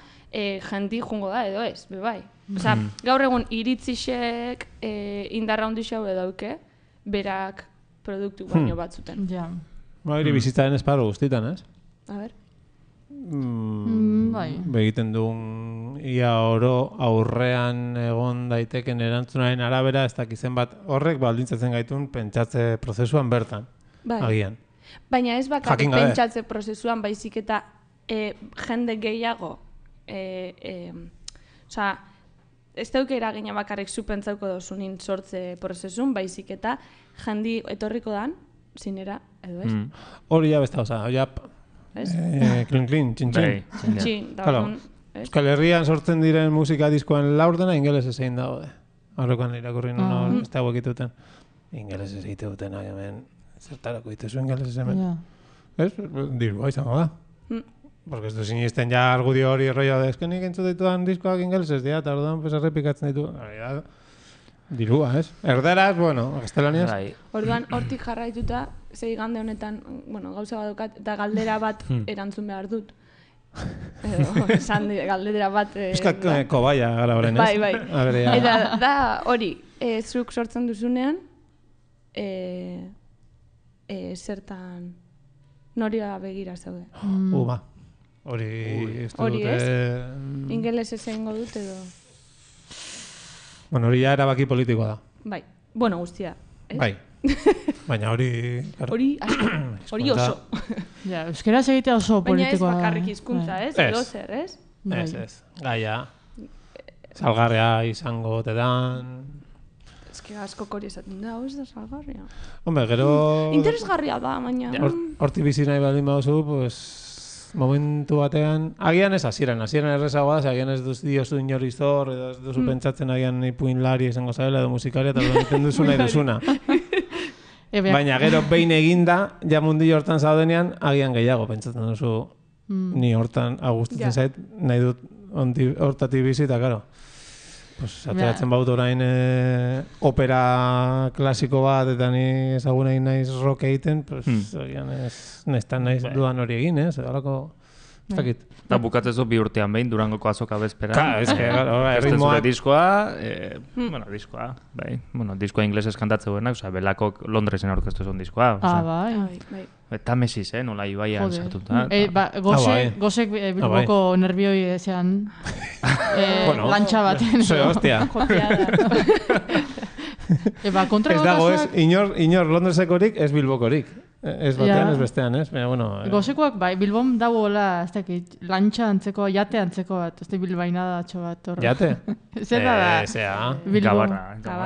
jendi jungo da edo ez, bai. Osa, gaur egun iritzixek indarra hondixau edo dauke, berak produktu baino batzuten. Ja. Hori bizitzaren esparru guztitan, ez? A ber. Bai. Begiten duen ia oro aurrean egon daiteken erantzunaren arabera, ez dakizen bat horrek baldintzatzen gaitun pentsatze prozesuan bertan, agian. Baina ez bakarrik pentsatze prozesuan baizik eta jende gehiago, osea, ez dauke eragina bakarrik zu pentsauko dozunin sortze prozesun, baizik eta jandi etorriko dan, zinera, edo ez? Hori ja besta, oza, klin, txin. Euskal Herrian sortzen diren musika diskoan laurdena ingeles ezein daude. Horrekoan irakurri nuen ez dago egituten. Ingeles ez egituten, hemen, zertarako dituzu ingeles hemen. Ez? Dirua izango da. Porque ez du sinisten ja argudio hori rollo da, eskenik entzut ditudan diskoak ingelesez dira, eta orduan errepikatzen ditu. Dirua, ez? Erderaz, bueno, gaztelaniaz. Orduan, hortik jarraituta, zei igande honetan, bueno, gauza badokat, eta galdera bat erantzun behar dut. Esan galdera bat... Euskak kobaia gara horren, ez? Bai. Eta da hori, zuk sortzen duzunean, zertan noria begira zaude. Hori ez ingeles ezengo dut edo... Bueno, hori ja erabaki politikoa da. Bai, bueno, guztia. Bai, baina hori... Hori oso. Ja, euskeraz egitea oso politikoa. Baina ez bakarrik hizkuntza, ez? Edo zer, ez? Ez. Gaia, salgarria izango tedan... Ez que asko kori esaten da, ez da salgarria. Hombre, gero... Interesgarria da, baina... Horti bizi nahi baldin baduzu, pues... momentu batean, agian ez hasieran errezagoa da, agian ez diozu inori zor, edo ez duzu pentsatzen agian ipuinlari izango zabela edo musikaria, eta egiten duzu nahi duzuna. Baina gero behin eginda, ja mundio hortan zaudenean, agian gehiago pentsatzen duzu, ni hortan agustatzen zait, nahi dut hortatik bizi, eta karo. Ateratzen baut orain opera klasiko bat, eta ni ezaguna naiz rock egiten, agian nestan naiz duan hori egin, ez? Horako, ez dakit. Eta bukatzezu 2 urtean behin, Durangoko azoka bezperan. Ka, ez que, erritmoak... diskoa inglesez kantatzeguenak, Belakok Londresen aurkeztu zuen diskoa. Bai. Eta Mesis, nola Ibaian sartuta. Gozek Bilboko nervioi ezean lantxa baten. Soy hostia. Kontra ez dago ez, inor Londresekorik, ez Bilbokorik. Ez batean, ez bestean, ez? Gozekoak, bai, Bilbon dagoela, ez dakit, lantxa antzeko, jate antzeko bat, ez da Bilbaina da atxo bat. Jate? Zer da da? Zea. Gabarra.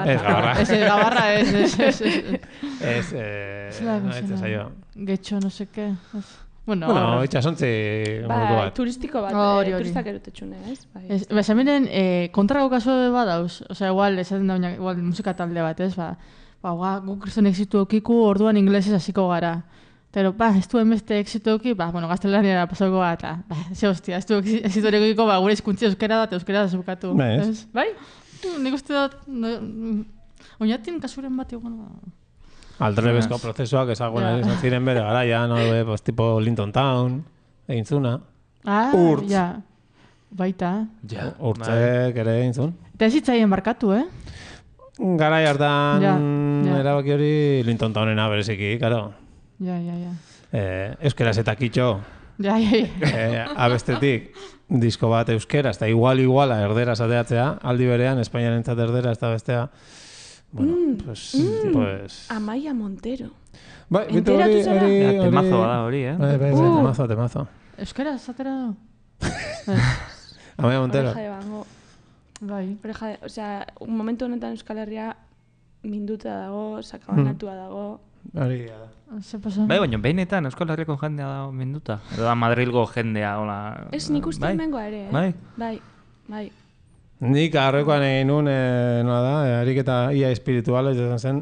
Ez Gabarra. Ez Gabarra, ez. Ez zaio. Getxo, no seke. Bueno, itxasontzi moduko bat. Turistiko bat, turistak erotetxune, ez? Zemenen, kontrako kasu bat dauz, osea, igual, esaten da, igual, musika talde bat, ez, guk kriston exitu okiku, orduan inglesez hasiko gara. Pero, ez duen beste exitu oki, gaztelaniara pasako gara, eta, ze hostia, ez du exitu okiko, gure izkuntzi euskera da zebukatu. Bai? Nik uste dut, oinatin kasuren bat egon, Aldrebezko prozesuak ezaguena izan ziren bere garaian, tipo Linton Town, egin zuna. Urtz. Baita. Urtzek ere egin zun. Eta ez hitzaien barkatu, Garai hartan erabaki hori Linton Townena bereziki, karo. Ja. Euskeraz eta kitxo. Ja. Abestetik disko bat euskeraz, eta iguala erderaz ateatzea, aldi berean, Espainiarentzat erdera, ez da bestea. Bueno, pues... Amaia Montero. Bai, enteratu zara? Temazo da hori, Temazo. Euskara, zatera du? Amaia Montero. Oreja de Bango. Bai. Osea, un momentu honetan Euskal Herria minduta dago, sakabanatua dago. Hori da. Zer pasa? Bai, baina behinetan Euskal Herriako jendea da minduta. Edo da Madrilgo jendea, hola... Ez nik uste hemengoa ere, Bai. Nik arrekoan egin nuen, ariketa ia espirituala, izan zen,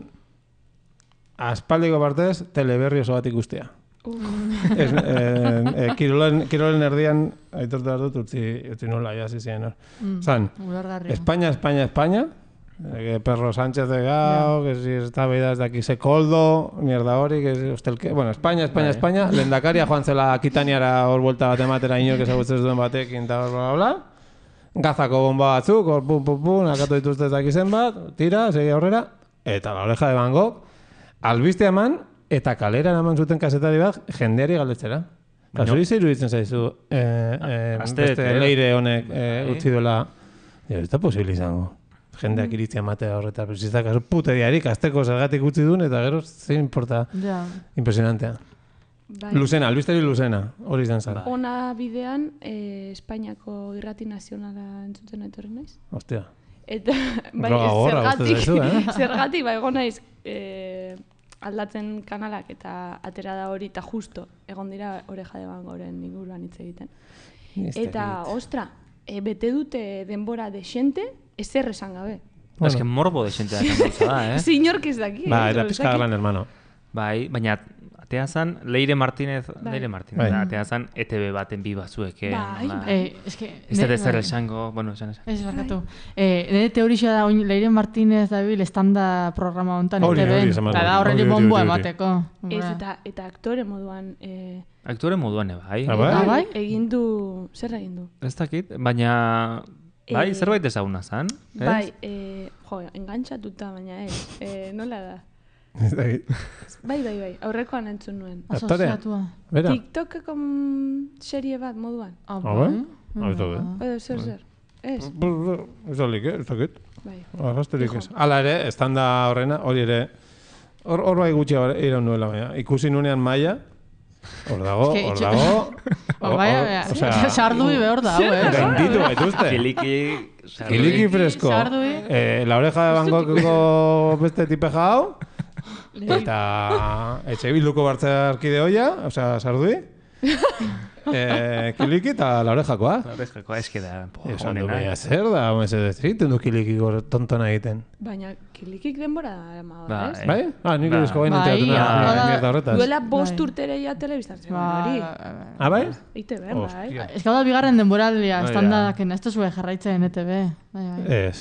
aspaldiko partez, teleberri oso bat ikustea. Kirolen erdian, aitortu behar dut, utzi nola, jasi ziren. Zan, España, Perro Sánchez de Gao, que si está beida desde aquí se coldo, mierda hori, que si ustelke... Bueno, España, lehendakaria joan zela Akitaniara hor vuelta bat ematera inor, que zagutzen duen batekin, eta bla. Gazako bomba batzuk, hor pum, akatu dituzte ezak izen bat, tira, segi aurrera, eta La Oreja de Van Gogh, albiste eman, eta kalera eman zuten kasetari bat, jendeari galdetzera. Zuri zeiru ditzen zaizu, beste leire honek utzi duela, ez da posible izango. Jendeak iritzia matea horreta, pero si ez da kasu pute diarik, azteko zergatik utzi duen, eta gero zein importa impresionantea. Luzena, albisteri Luzena, hori izan zara. Ona bidean, Espainiako irrati nazionala entzuten etorri naiz. Hostia. Eta, zergatik, egon naiz, aldatzen kanalak eta atera da hori, eta justo, egon dira Oreja de Van Goren inguruan hitz egiten. Eta, ostra, bete dute denbora desente, ezer esan gabe. Ez que morbo desente da kanauza da, Zinork ez daki. Eta pizka gran hermano. Bai, baina atea zan Leire Martínez, atea zan ETB baten bi batzuek. Ez da zer esango, esan. Ez barkatu. Nire teorixia da, Leire Martínez dabil estanda programa honetan ETB, eta da horreli bomboa emateko. Eta aktore moduan... Aktore moduan, bai. Bai? Zer egin du? Ez dakit, baina... Bai, zerbait ezaguna zan? Bai, engantxatuta, baina nola da? Bai, aurrekoan entzun nuen. Asociatua. TikTokeko serie bat moduan. Bai? Zer. Ez? Ez dakit. Bai. Arrasterik ez. Hala ere, estanda horrena, hori ere, hor bai gutxi iraun nuela, baina. Ikusi nunean maia, hor dago. Sardui behor da, gainditu baituzte. Kiliki fresko. La Oreja de Van Gogheko beste tipeja hau. Eta etxe bilduko bartzarkide hoia, osea, Sardui. Kiliki eta la orejakoa. La orejakoa eske da. Esan du, baina zer da, mesedez, egiten du kiliki tontona egiten. Baina kilikik denbora da, ez? Bai? Nik irezko bain enteratuna mierda horretaz. Duela 5 urtere ja telebiztartzen hori. Bai? ITB, bai. Ez gau da bigarren denboraldia, estandadak, ez da zuen jarraitzen ETB. Ez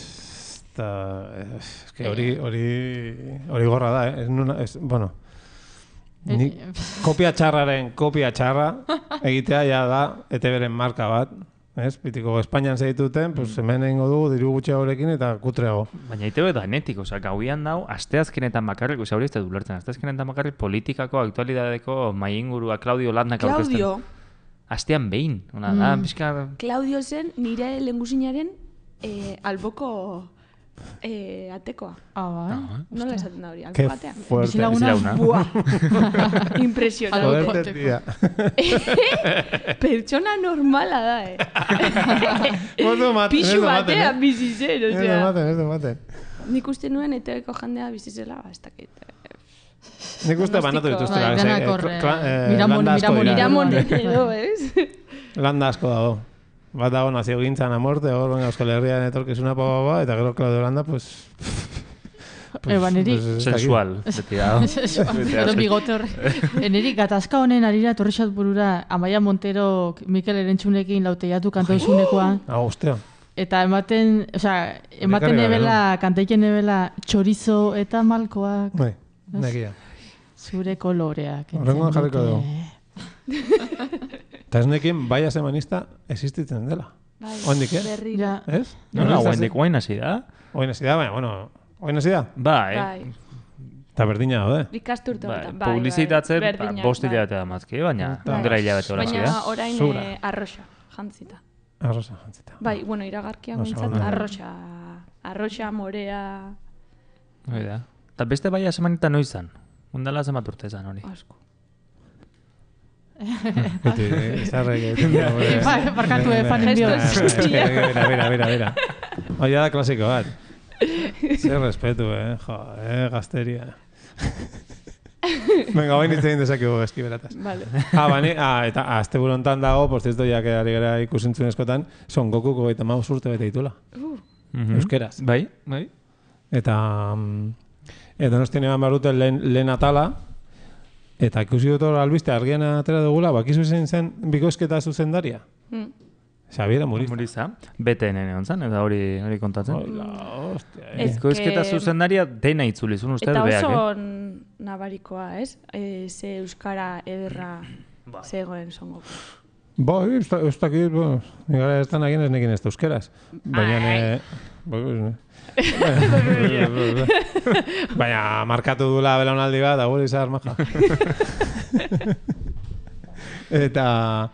que hori gorra da, bueno, kopia txarra egitea ja da ETB-ren marka bat, ez? Pitiko Espainian zeituten, pues hemen egingo dugu diru gutxiagorekin eta kutreago. Baina ETB da netik, gauian dau, asteazkenetan bakarrik, hori ez da dulertzen, asteazkenetan bakarrik politikako, aktualidadeko maingurua Claudio Landak aurkezten. Claudio? Astean behin, ona da, pixka... Claudio zen nire lengusinaren alboko... atekoa. Bai. Nola esaten da hori, albo batean. Ke fuerte. Buah. Impresionante. Pertsona normala da, Pixu batean bizi zen, Ez du maten. Nik uste nuen ETB-ko jandea bizi zela, ez dakit. Nik uste banatu dituztela. Miramon edo, ez? Landa asko dago. Bat dago nazio gintzan amorte, hor Euskal Herrian etorkizuna eta gero Claudio Landa, pues... Neri... Sensual, beti dago. Edo bigote horre. Neri, gatazka honen arira torrexat burura, Amaia Montero, Mikel Erentxunekin lauteiatu kantoizunekoa. Ostia. Eta ematen ebela, kantaiken ebela, txorizo eta malkoak. Bai, nekia. Zure koloreak. Horrengoan jarriko dugu. Eta ez nekien bai asemanista existitzen dela. Oindik, Berriro. Ez? Oain hasi da. Oain hasi da, baina, bueno, oain hasi da? Bai. Eta berdina daude. Ikasturte honetan. Publizitatzen, 5 hilabete da mazki, baina ondera hilabete hola baina orain arroxa, jantzita. Arroxa, jantzita. Bai, bueno, iragarkia mintzat, arroxa, morea... Oida. Eta beste bai asemanita noizan? Ondala zemat urte zan hori? Asko. Barkatu fanen dio. Mira. Oia da klasiko bat. Zer respetu, gazteria. Venga, bain itzein dezakegu eski berataz. Vale. Eta azte burontan dago, por cierto, ya que ari gara ikusintzun eskotan, Son Gokuko 35 urte bete ditula. Euskeraz. Bai. Eta Donostian eban barruten lehen atala, eta ikusi dut hor albiste argian atera dugula, bakizu zen bikoizketa zuzendaria. Xabiera Muriza. BTN egon zen, eta hori kontatzen. Ostia. Bikoizketa zuzendaria dena itzulizun ustez beak. Eta oso nabarikoa, ez? Ze euskara ederra zegoen Son Goku. Bai, ez dakit, nigara ez da nagin ez nekin ez da euskeraz. Baina, baina markatu dula belaunaldi bat, agur izar maja. Eta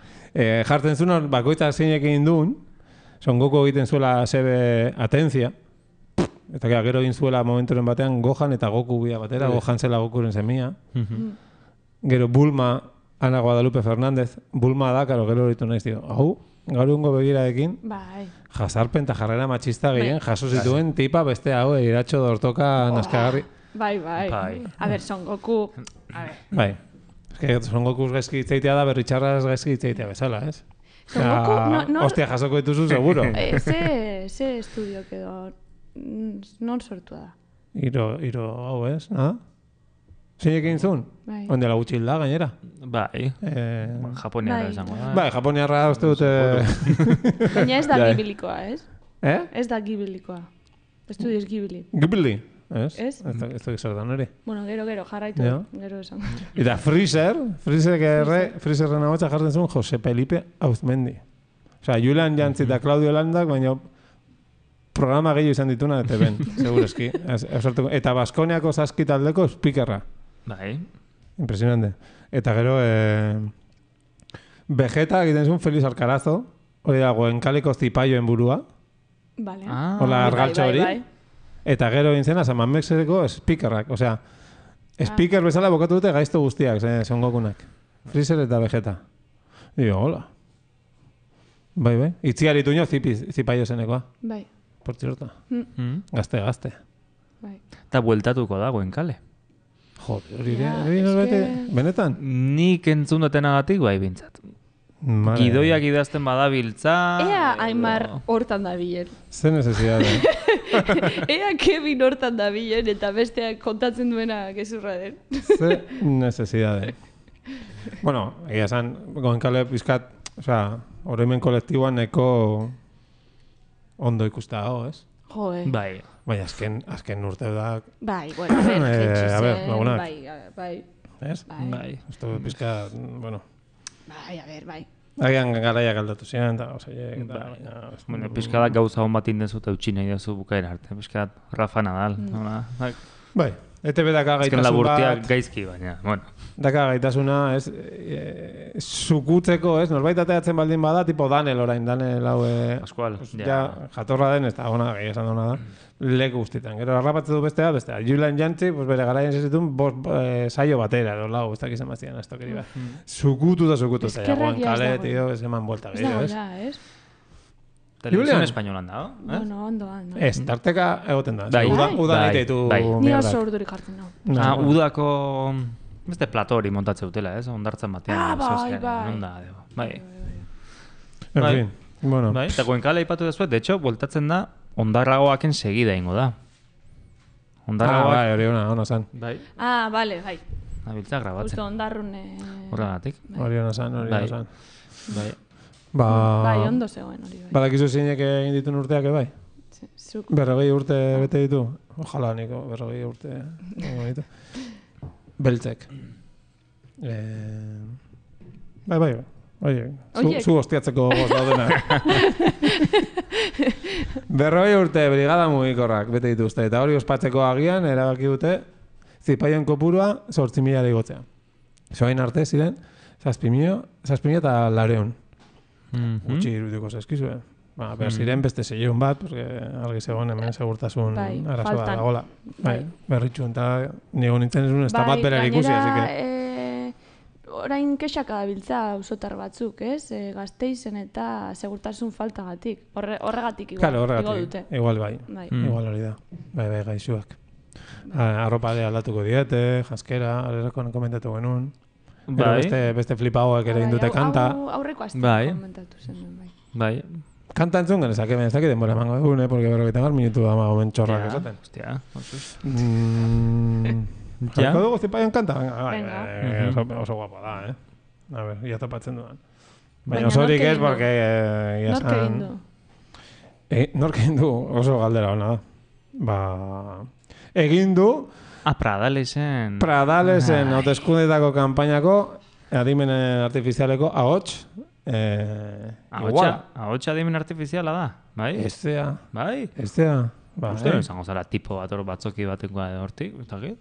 jartzen zuen, bakoitza zeinekin duen, Son Goku egiten zuela sebe atentzia, eta gero egin zuela momenturen batean Gohan eta Goku bia batera, Gohan zela Gokuren semia. Gero Bulma, Ana Guadalupe Fernández, Bulma da, karo, gero horitu naiz dio. Hau, gaur egungo begiraekin, jasarpen eta jarrera matxista gehien jaso zituen tipa beste hau, iratxo dortoka naskagarri. Bai. A ber, Son Goku... Bai. Son Goku gaizki itzeitea da, berritxarraz gaizki itzeitea bezala, ez? Son Goku... Hostia, jasoko dituzu, seguro. Ze estudio edo... Non sortu da? Iro hau, ez? Nada? Zeinek egin zuen? Onde la gutxil da, gainera? Bai. Japoniarra esango da. Bai, Japoniarra uste dute... Baina ez da gibilikoa, ez? Ez da gibilikoa. Estudios Ghibli. Ghibli? Ez? Ez? Ez da zer da nire. Bueno, gero, jarraitu. Gero esan. Eta Freezerren hau jartzen zuen Jose Felipe Auzmendi. Osea, Julian Jantzi eta Claudio Landak, baina programa gehiago izan dituna ETB-en, segureski. Eta Baskoniako saskitaldeko speakerra. Bai. Impresionante. Eta gero, Vegeta egiten zuen Feliz Alcarazo, hori da, Goenkaliko zipaioen burua. Vale. Hola, argaltxo hori. Eta gero egin zena, San Mamexeko speakerrak. Osea, speaker bezala bokatu dute gaizto guztiak, Son Gokunak. Freezer eta Vegeta. Dio, hola. Bai. Itziari tuño zipaio zenekoa. Bai. Por cierto. Gazte. Bai. Eta bueltatuko da, Goenkale. Hori norbait, benetan? Nik entzun dutenagatik bai bintzat. Gidoiak idazten badabiltza... Ea Aimar hortan da bilen. Ze necesidade. Ea Kevin hortan da bilen eta besteak kontatzen duena gezurra den. Ze necesidade. Bueno, egia esan, goenkale pizkat, oroimen kolektiboan neko ondo ikusta dago, ez? Joe. Bai. Bai, azken urte da... Bai, bueno, a ver, lagunak. Bai. Ez? Bai. Esto pizkat, bueno... Bai, a ver, bai. Agian garaiak aldatu ziren, eta osaiek, eta... Bueno, pizkadak gauza hon bat indezu eta utxina idazu bukaera arte. Pizkat Rafa Nadal. Bai, ETV daka gaitasun bat... Ezken laburtiak gaizki, baina, bueno. Daka gaitasuna, ez, zukutzeko, ez, norbait ateatzen baldin bada, tipo Danel orain, Danel hau... Pascual, ja. Jatorra den, ez da, ona, gehi esan duna da. Leku guztietan. Gero, harrapatze du bestea. Julian Jantzi, pues bere garaien zizitun, saio batera, edo lau, ez dakizen baztian, ez tokeri bat. Zukutu. Eskerrak kale, tío, ez eman buelta gehiago, ez? Ez? Televisión españolan dago, eh? Bueno, ondo. Ez, tarteka egoten da. Bai. Udan egiteitu Ni oso urdurik jartzen nau. Udako... Beste plato hori montatze dutela, ez? Ondartzan batean. Bai. En fin, bueno. Bai, eta goenkale ipatu dezuet, de hecho, voltatzen da, ondarragoaken segida ingo da. Ondarragoak... Bai, hori ona zan. Bai. Bale, bai. Nabiltza grabatzen. Justo ondarrune... Horregatik. Hori ona zan. Bai. Bai, ondo zegoen hori bai. Badakizu zeinek egin ditun urteak, bai? 40 urte bete ditu? Ojalá, niko, 40 urte. Beltzek. Bai. Zu hostiatzeko goz daudena. 40 urte brigada mugikorrak bete dituzte. Eta hori ospatzeko agian, erabaki dute, zipaien kopurua 8.000 igotzea. Zoain arte ziren, 6.000 eta 200. Gutxi irudiko zaizkizue. Ziren beste 600 bat, porque argi zegoen hemen segurtasun arazoa dagoela. Berritxu, eta nigo nintzen ez ez da bat bera ikusi, así que... Orain kexaka dabiltza auzotar batzuk, ez? Gasteizen eta segurtasun faltagatik. Horregatik igo dute. Igual bai. Igual hori da. Bai, gaixuak. Arropade aldatuko diete, jaskera, arerako komentatu genuen. Beste flipagoak ere indute kanta. Aurreko azte komentatu zen. Bai. Kanta entzun genezak, ez dakit denbora emango egun, porque 40 minutu da magomen txorrak esaten. Hostia, Jarko dugu zipaien kanta? Oso guapa da, A ver, ya topatzen dudan. Baina osorik ez, porque... Nork egin du? Nork egin du, oso galdera hona da. Egin du... Pradalesen... Pradalesen, hauteskundetako kanpainako, adimen artifizialeko, ahots... Ahots adimen artifiziala da, bai? Eztea. Bai? Eztea. Uste izango zara tipo bat batzoki batekoa hortik, ez dakit?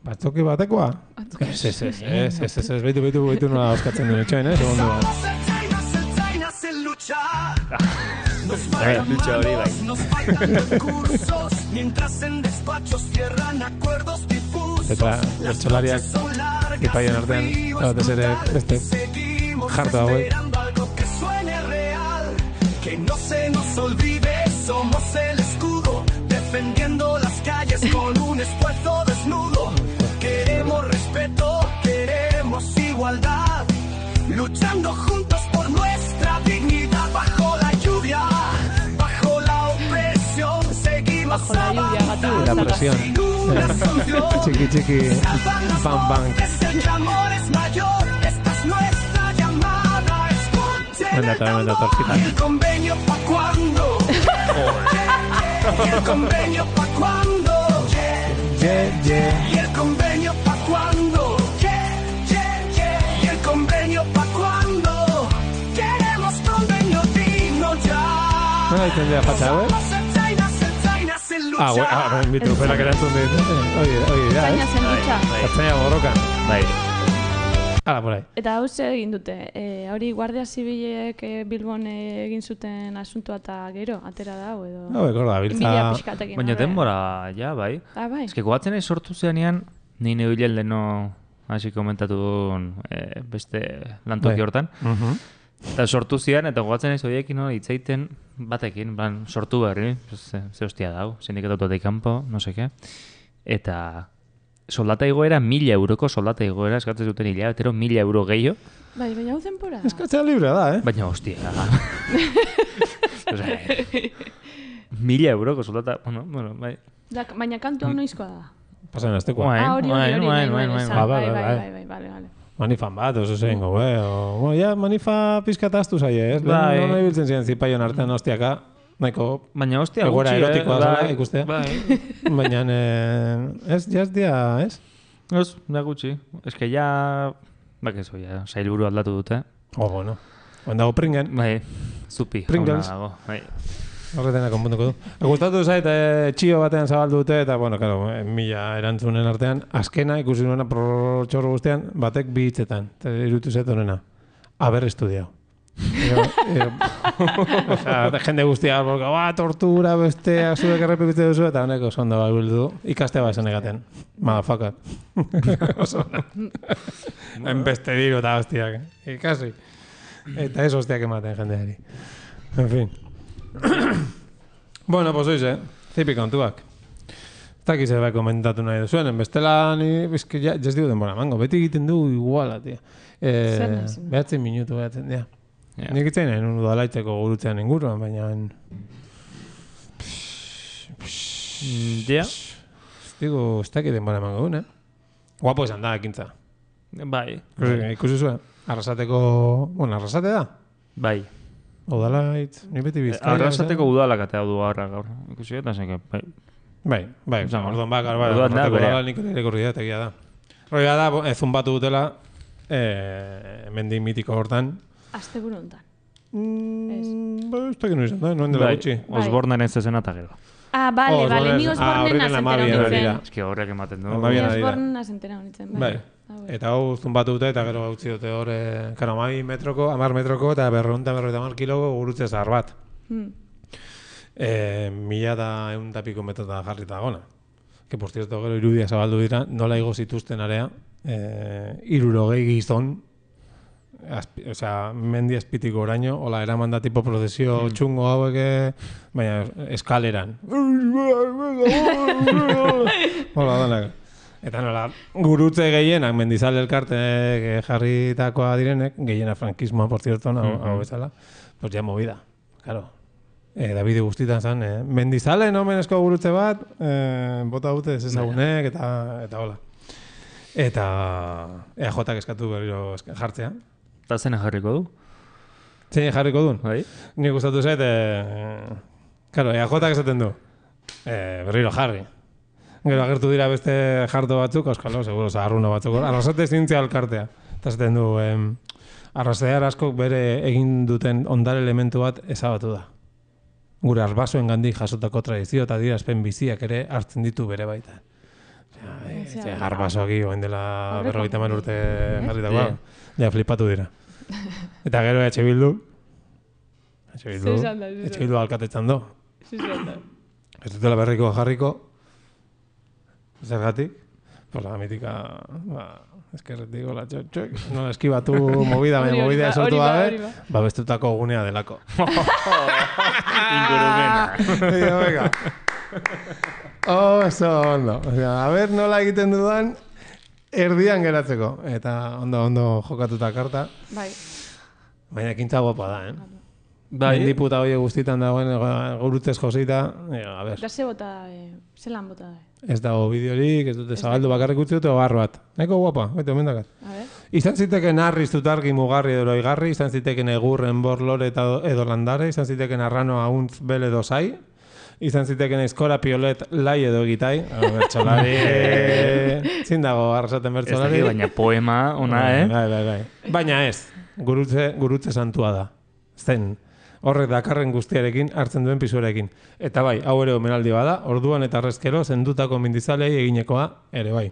Batzoki batekoa? Ez, behitu nola oskatzen duen etxoen, segundu bat. Lucha hori bai. Eta bertsolariak ipaien artean, batez ere beste jartu hauek. Que no se nos olvide, somos el escudo, defendiendo las calles con un esfuerzo desnudo. Queremos respeto, queremos igualdad, luchando juntos por nuestra dignidad. Bajo la lluvia, bajo la opresión, seguimos avanzando. La presión. Chiqui, bam, bam. El amor es mayor, esta es nuestra llamada. Escuchen el convenio pa' cuando. Y el convenio pa' cuando. Y el convenio pa' cuando. Y el convenio pa' cuando. Queremos convenio digno ya. No hay tendría facha, ¿eh? Bitu, fuera que erantzun dit. Oye, ya, Ertzaina borrokan. Bai. Hala, por ahí. Eta hau zer egin dute, hori Guardia Zibilek Bilbon egin zuten asuntoa eta gero, atera da, edo... Gorda, biltza... Inbidia pixkatekin. Baina denbora, ja, bai. Bai. Ez que goatzen ez sortu zeanean, nire hilel deno, hasi komentatu duen beste lantoki hortan. Eta sortu zian, eta goatzen ez horiekin hitzaiten batekin, sortu berri, ze hostia dau, sindikatu kanpo, no seke. Eta soldata igoera 1.000 euroko soldata igoera eskatzen zuten hilabetero 1.000 euro gehiago. Bai, baina hau temporada. Eskatzea libre da, Baina, hostia. Osea, 1.000 euroko soldata, bueno, bai. Baina kantu hau noizkoa da. Pasan aztekoa. Bai. Manifan bat, oso zein gobe. Ja, manifa pizkataztu zaie, ez? Nola ibiltzen ziren zipaion artean hostiaka. Nahiko baina hostia egoera erotikoa zela, ikustea. Bai. Baina, ez, dia, ez? Ez, da gutxi. Ez que ja, bakezo, ja, sailburu aldatu dute. Bueno. Dago Pringen. Bai, zupi. Pringles. Bai. Horretena konpuntuko du. Gustatu zait, txio batean zabaldu dute, eta, bueno, claro, 1000 erantzunen artean, azkena ikusi nuena txorro guztian, batek 2 hitzetan. Irutu zait honena. Aber estudiao. Jende guztia, tortura, besteak, zuek errepikute duzu, eta honeko zondo bildu. Ikaste esan egaten. Motherfucker. Enbeste diru eta hostiak. Ikasi. Eta ez hostiak ematen jendeari. En fin. Bueno, pues oize, zipi kontuak. Eta kize bai komentatu nahi duzuen, bestela ni, bizki, jaz digu denbora mango, beti egiten du iguala, tia. 9 minutu behatzen, ja. Nik itzen nahi nun udalaitzeko gurutzean inguruan, baina... Ja? Digo, ez dakit denbora mango duen, Guapo esan da, ekintza. Bai. Ikusi zuen, arrasateko... Bueno, arrasate da? Bai. Udalaitz, ni beti Bizkaia. Arrasateko udalak atea du gaur. Ikusi eta zeke, bai. Bai, orduan bakar, bai. Udala nik irakurri da, tegia da. Roia da, zumbatu dutela, mendi mitiko hortan. Azte buru hontan. Ez dakit nu izan da, noen dela gutxi. Osborneren zezena eta gero. Bale, ni Osbornen azentera honitzen. Ez ki horrek ematen du. Ni Osbornen azentera honitzen, bai. Eta hau zumbatu dute, eta gero gautzi dute hor, 10 metroko eta 250 kiloko gurutze zahar bat. 1100 piko metrota jarrita gona. Que por cierto, gero irudia zabaldu dira, nola igo zituzten area, 60 gizon, mendi azpitiko oraino, hola, eraman da tipo prozesio txungo hauek, baina eskaleran. Hola, danak. Eta nola, gurutze gehienak, mendizale elkarte jarritakoa direnek, gehiena frankismoa, por cierto, hau bezala, pues ya movida, claro. Davide guztitan zen, mendizale nomenezko gurutze bat, bota dute ez ezagunek, eta hola. Eta EAJak eskatu berriro jartzea. Eta zena jarriko du? Zein jarriko duen? Bai. Nik gustatu zait, claro, EAJak esaten du, berriro jarri. Gero agertu dira beste jarto batzuk, euskalo, seguro, zaharruna batzuk. Arrasate zintzia alkartea. Eta zaten du, arrasatear askok bere egin duten ondare elementu bat ezabatu da. Gure arbasoen gandik jasotako tradizio eta adierazpen biziak ere hartzen ditu bere baita. Arbasoaki oen dela 50 urte jarritakoa. Ja, flipatu dira. Eta gero EH Bildu alkatetzan do. Ez dutela berriko jarriko. Zergatik? Pues la mítica, eskerretik, hola, txok, no eskibatu movida esortu gabe, bestutako gunea delako. Ingurumena. Venga. Oso ondo. A ver, nola egiten dudan, erdian geratzeko. Eta ondo jokatuta karta. Bai. Baina ekintza guapa da, Bai. Mendiputa hori guztitan dagoen gurutzez josita, a ver. Da zelan bota da. Ez dago bideorik, ez dute zabaldu bakarrik utzi dute ogar bat. Nahiko guapa, omendakat. Izan ziteken arri zutargi mugarri edo igarri, izan ziteken egurren borlore edo landare, izan ziteken arrano auntz bele dozai, izan ziteken eskora piolet lai edo egitai. Bertsolari... Zin dago arrasaten bertsolari. Ez baina poema ona, Bai. Baina ez, gurutze santua da. Zen. Horrek dakarren guztiarekin hartzen duen pisuarekin. Eta bai, hau ere omenaldi bada, orduan eta arrezkero zendutako mendizalei eginekoa ere bai.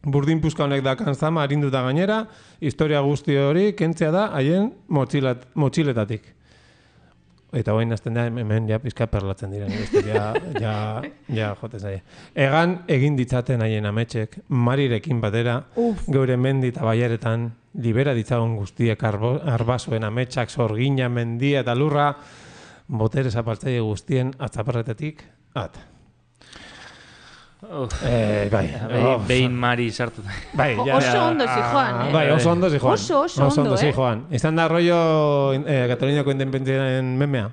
Burdin puska honek dakan zama arinduta gainera, historia guzti hori kentzea da haien motxiletatik. Eta hoin azten da, hemen ja pizka perlatzen diren. Ja jote zaie. Egan egin ditzaten haien ametxek, marirekin batera, geure mendi eta baiaretan, libera ditzagun guztiek arbasoen ametsak, sorgina, mendia eta lurra, botere zapaltzaile guztien atzaparretetik, Bai. Behin mari sartu. Bai, Oso ondo zijoan, Bai, oso ondo zijoan. Oso ondo, zijoan. Izan da rollo Kataluniako independentzien memea.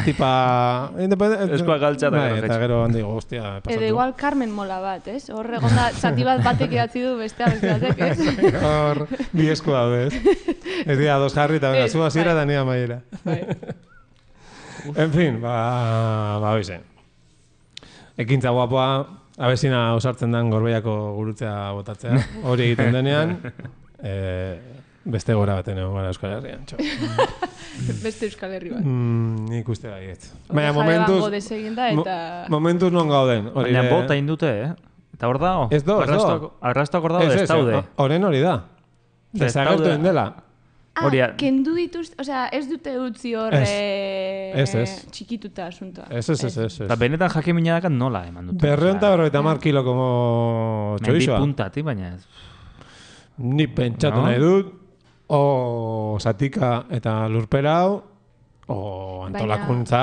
Tipa... Eskoa galtza da. Bai, eta gero handi guztia pasatu. Edo igual Carmen mola bat, ez? Horre gonda, zati bat batek idatzi du beste batek, ez? Hor, bi esku daude, ez? Ez dira, dos jarri eta venga, zu hasiera eta nia maiera. En fin, hoize. Ekintza guapoa, abezina osartzen den Gorbeiako gurutzea botatzea. Hori egiten denean, beste gora baten egon gara Euskal Herrian. Beste Euskal Herri bat. Nik uste baiet. Baina momentuz non gauden. Baina bota indute, Eta hor dago? Ez do. Arrastoak hor dago, ez daude. Horren hori da. Desagertu indela. Kendu dituzte, osea, ez dute utzi horre txikituta asuntoa. Ez. Eta benetan jakimina dakat nola eman dute. 250 kilo como txorizoa. Mendi puntati, baina ez. Ni pentsatu nahi dut, o satika eta lurpera hau, o antolakuntza...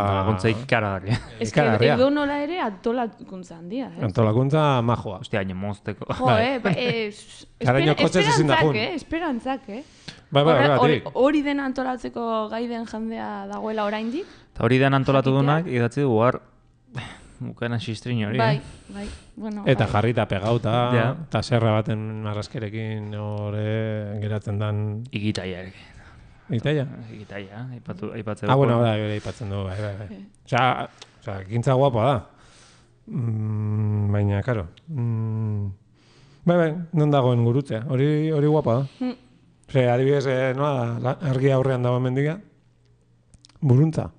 Antolakuntza ikaragarria. Ez que edo nola ere antolakuntza handia, ez? Antolakuntza majoa. Ostia, hain mozteko. Esperantzak, Bai, hori den antolatzeko gai den jendea dagoela oraindik. Eta hori den antolatu dunak, idatzi du guar, bukana xistrin hori. Bai, bueno. Eta jarrita pegauta, eta serra baten marraskerekin hori geratzen dan... Igitaia ere. Igitaia? Igitaia, aipatzen. Bueno, aipatzen du, bai. Osea, ekintza guapa da. Baina, karo. Bai, non dagoen gurutzea, hori guapa da. Osea, adibidez, argi aurrean dago mendiga, buruntza.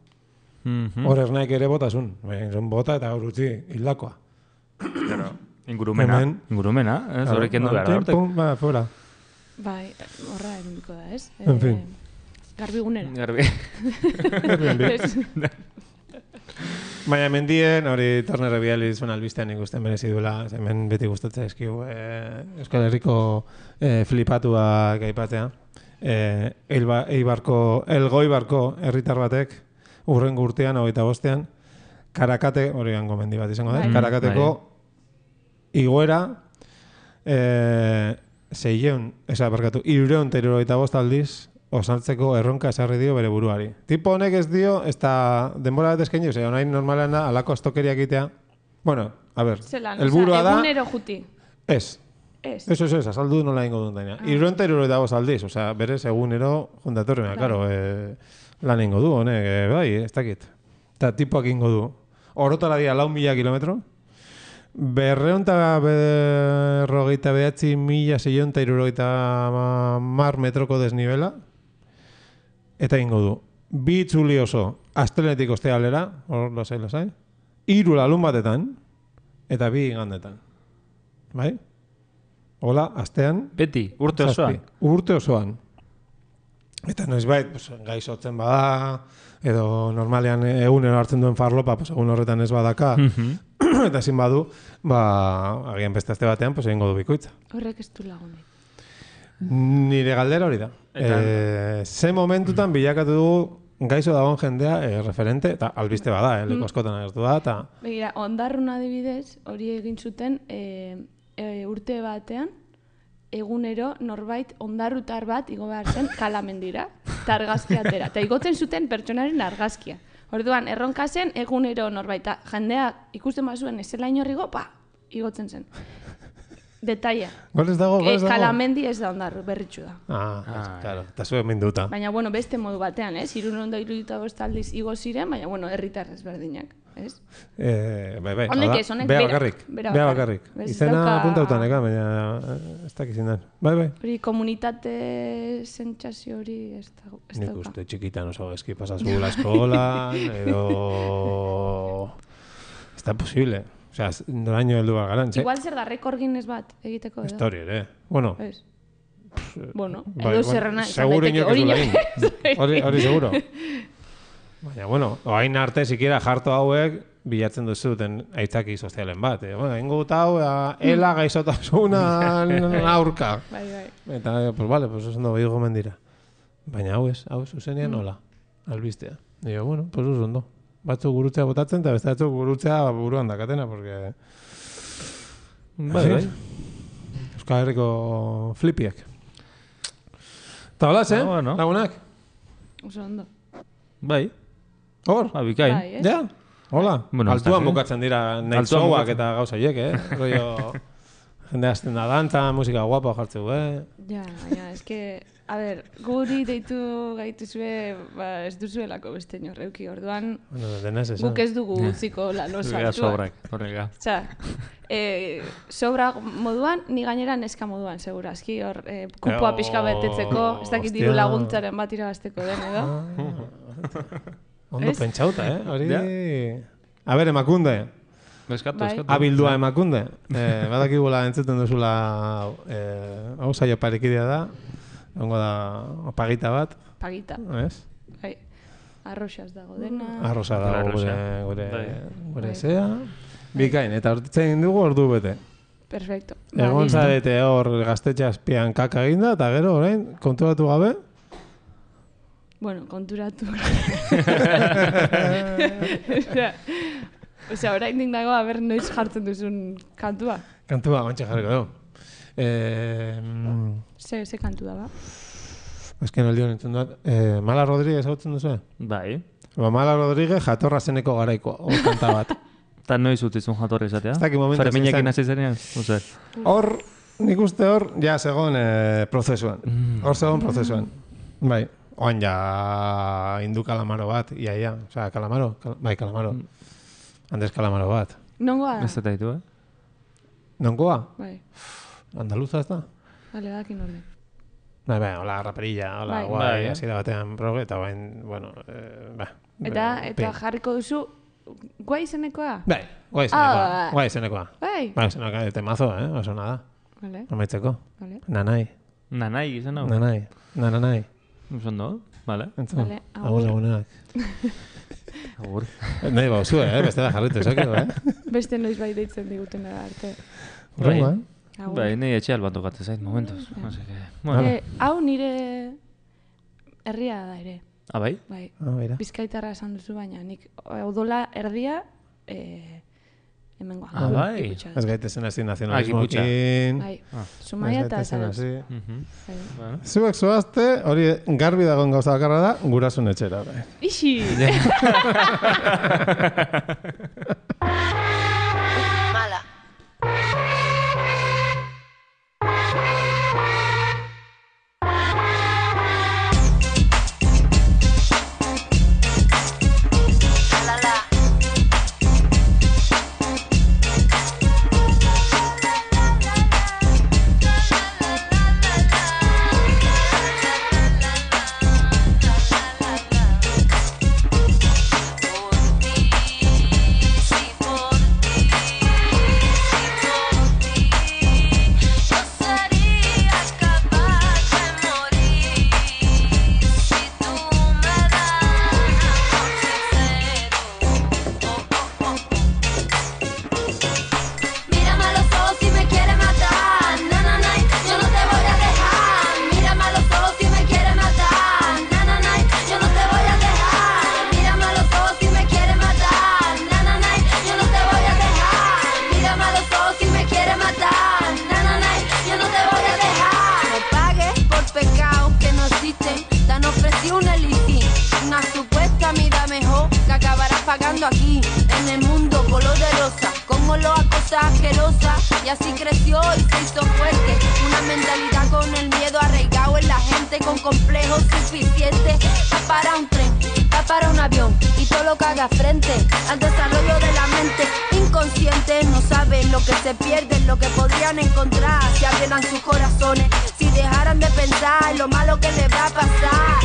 Hor ernaik ere botasun. Bota eta hor utzi hildakoa. Ingurumena, ez horrek endu gara hortek. Ba, fuera. Bai, horra erundiko da, ez? En fin. Garbigunera. Baina mendien, hori Torner Biali zuen albistean ikusten merezi duela, hemen beti gustatzen eskiu Euskal Herriko flipatuak aipatzea. Elgoibarko herritar batek, urrengo urtean, 25ean, Karakate, hori gango mendi bat izango da, Karakateko igoera 375 aldiz osaltzeko erronka esarri dio bere buruari. Tipo honek ez dio, ez da denbora bat eskaini, ose, onain normalean da, alako astokeriak itea. Bueno, a ver, elburua da... Egunero juti. Ez. Eso, azaldu nola ingo dut daina. 375 aldiz, osea, berez egunero juntatorrean, claro, lan ingo du, honek, bai, ez dakit. Eta tipoak ingo du. Orotara dia 4.000 kilometro, 249.670 metroko desnibela, eta ingo du. 2 itzuli oso, astelenetik ostealera, hor lasai, 3 larun batetan, eta 2 igandetan. Bai? Hola, astean. Beti, urte osoan. Urte osoan. Eta noizbait, gaizotzen bada, edo normalean egunero hartzen duen farlopa, egun horretan ez badaka, eta ezin badu, agian beste aste batean, egingo du bikoitza. Horrek ez du lagunik. Nire galdera hori da. Ze momentutan bilakatu dugu gaizo dagoen jendea referente, eta albiste bada, leku askotan agertu da, eta... Begira, Ondarrun adibidez, hori egin zuten urte batean, egunero norbait ondarrutar bat igo behar zen kalamendira, eta argazkia atera. Eta igotzen zuten pertsonaren argazkia. Orduan, erronka zen egunero norbait. Jendea ikusten bazuen ezela inorrigo, igotzen zen. Detaia. Golez dago? Kalamendi ez da ondarru, berritxu da. Claro, eta zuen minduta. Baina, beste modu batean, ez? 375 aldiz igo ziren, baina, herritar ezberdinak. Ez? Bai. Honek Bea bakarrik. Izena puntautan, baina ez dakizin den. Bai. Hori komunitate sentsazio hori ez da. Nik uste txikitan oso eski pasazula eskolan, edo... Ez da posible. Osea, noraino heldu bat garan. Igual zer da, rekord Guinness bat egiteko edo. Histori ere. Bueno, edo zerrena seguro hori seguro. Baina, oain arte sikiera jarto hauek bilatzen duzuten aitzaki sozialen bat. Ingo dut hau, ela gaixotasunan aurka. Bai. Eta, pues oso ondo behigo mendira. Baina hau zuzenean nola, albistea. Digo, pues oso ondo. batzuk gurutzea botatzen, eta beste batzuk gurutzea buruan dakatena, porque... Bai. Euskal Herriko flipiak. Eta holaz, bueno. Lagunak? Oso ondo. Bai. Hor? Bikain. Bai, ez? Ja? Hola? Bueno, Altuan bukatzen dira nahi Altuan zauak bukatzen. eta gauza hiek, Rollo... Jende azten da dantza, musika guapa jartzeu, Ja, eske... A ber, guri deitu gaituzue, ez duzuelako beste inorreuki, orduan... Bueno, denez esan. Guk ez dugu utziko lan oso Zurga altua. sobrak, horrega. Osea, sobra moduan, ni gainera neska moduan, segurazki, hor, kupoa pixka betetzeko, ez dakit diru hostia. laguntzaren bat irabazteko den, edo? Ondo Ez? pentsauta, Hori... Ja. A ber, Emakunde. Eskatu. Abildua Emakunde. Badakigula entzuten duzula hau saio parekidea da. Ongo da pagita bat, Pagita, ez? bai. Arroxaz dago dena. Arrosa da Arrosa. gure zea. Bikain, eta hortitzen dugu ordu bete. Perfecto. Egon listo. zarete hor gaztetxe azpian kaka eginda, eta gero orain konturatu gabe. Bueno, konturatu. Osea, oraindik dago, aber noiz jartzen duzun kantua. Kantua, ontsa jarriko dugu. Ze kantu da, ba? Ezken aldi honetan dut. Mala Rodríguez hautzen duzu? Bai. Mala Rodríguez jatorra zeneko garaiko, kanta bat. Eta noiz utzizun jatorri izatea? Ez dakit momentu Ferminekin zen. hasi zenean? Uzer. Hor, nik uste hor, ja segon prozesuan. Hor segon prozesuan. Bai, oan ja hindu kalamaro bat, ia. Osea, kalamaro? Bai, kalamaro. Andres Kalamaro bat. Nongoa da? Ez eta ditu, Nonkoa? Bai, Andaluza ez da? bale, dakin orde. Bai, hola, raperilla, hola, Bai. guai, Bai. hasiera batean proge, eta bain, bueno, Eta jarriko duzu, guai izenekoa? Bai, guai izenekoa. Bai, Bai, izenekoa, temazo, oso nada. bale, Amaitzeko. bale. Nanai, Nanai izan hau? nanai. Ondo, vale. Entzun, Vale, agur lagunak. Agur. Nahi bauzu, bestela jarritu esakero, Beste noiz bai deitzen diguten da arte. Urrengo, Agur. Bai, nahi etxe alban tokatzen zait, momentuz. Así que, bueno. Vale. Hau nire herria da ere. Ah, bai? Bai, Mira. Bizkaitarra esan duzu, baina nik odola erdia hemengoa. Ah, bai. Giputxa. Ez gaitezen hasi nazionalismoekin. Bai, Ah. Zumaia eta gaitezen Zarautz. hasi. Bai. Bueno. Zuek zoazte, hori garbi dagoen gauza bakarra da, gurasun etxera. Bai. Ixi! Mala. La la. Mírame a los ojos si me quieres matar, na na na, yo no te voy a dejar. Mírame a los ojos si me quieres matar, na na na, yo no te voy a dejar. Mírame a los ojos si me quieres matar, na na na, yo no te voy a dejar. Mírame a los ojos si me quieres matar, na na na, yo no te voy a dejar. No pagues por pecados que no existen, te han ofrecido un elitín, una supuesta vida mejor que acabarás pagando aquí, en el mundo color de rosa, con olor a cosas asquerosas, y así creció y se hizo fuerte, una mentalidad con el miedo arraigado en la gente, con complejos suficientes, va para un tren, va para un avión, y todo lo que haga frente al desarrollo de la mente, inconscientes no saben lo que se pierden, lo que podrían encontrar, si abrieran sus corazones, si dejaran de pensar en lo malo que les va a pasar.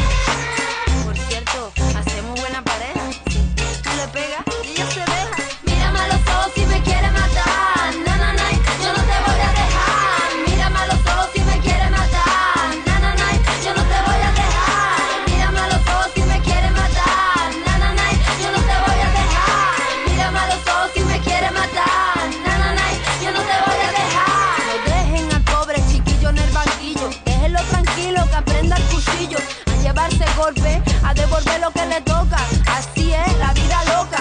Por cierto, hacemos buena pareja. Tú le pegas y ella se deja. Mírame a los ojos si me quieres matar, na na na, yo no te voy a dejar. Mírame a los ojos si me quieres matar, na na na, yo no te voy a dejar. Mírame a los ojos si me quieres matar, na na na, yo no te voy a dejar. Mírame a los ojos si me quieres matar, na na na, yo no te voy a dejar. No dejen al pobre chiquillo en el banquillo, déjenlo tranquilo que aprenda el cuchillo, a llevarse golpe, a devolver lo que le toca. Así es la vida loca.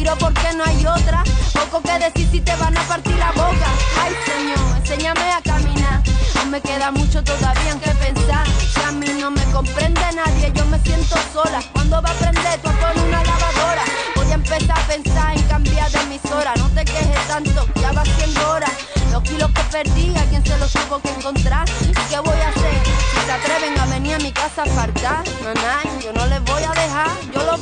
miro porque no hay otra. Poco que decir si te van a partir la boca. Ay, Señor, enséñame a caminar. Aún me queda mucho todavía en que pensar. Si a mí no me comprende nadie, yo me siento sola. ¿Cuándo va a aprender tú a poner una lavadora? Voy a empezar a pensar en cambiar de emisora. No te quejes tanto, ya va siendo hora. Los kilos que perdí, ¿a quién se los tuvo que encontrar? ¿Y qué voy a hacer? Si se atreven a venir a mi casa a faltar, nanay, yo no les voy a dejar. Yo lo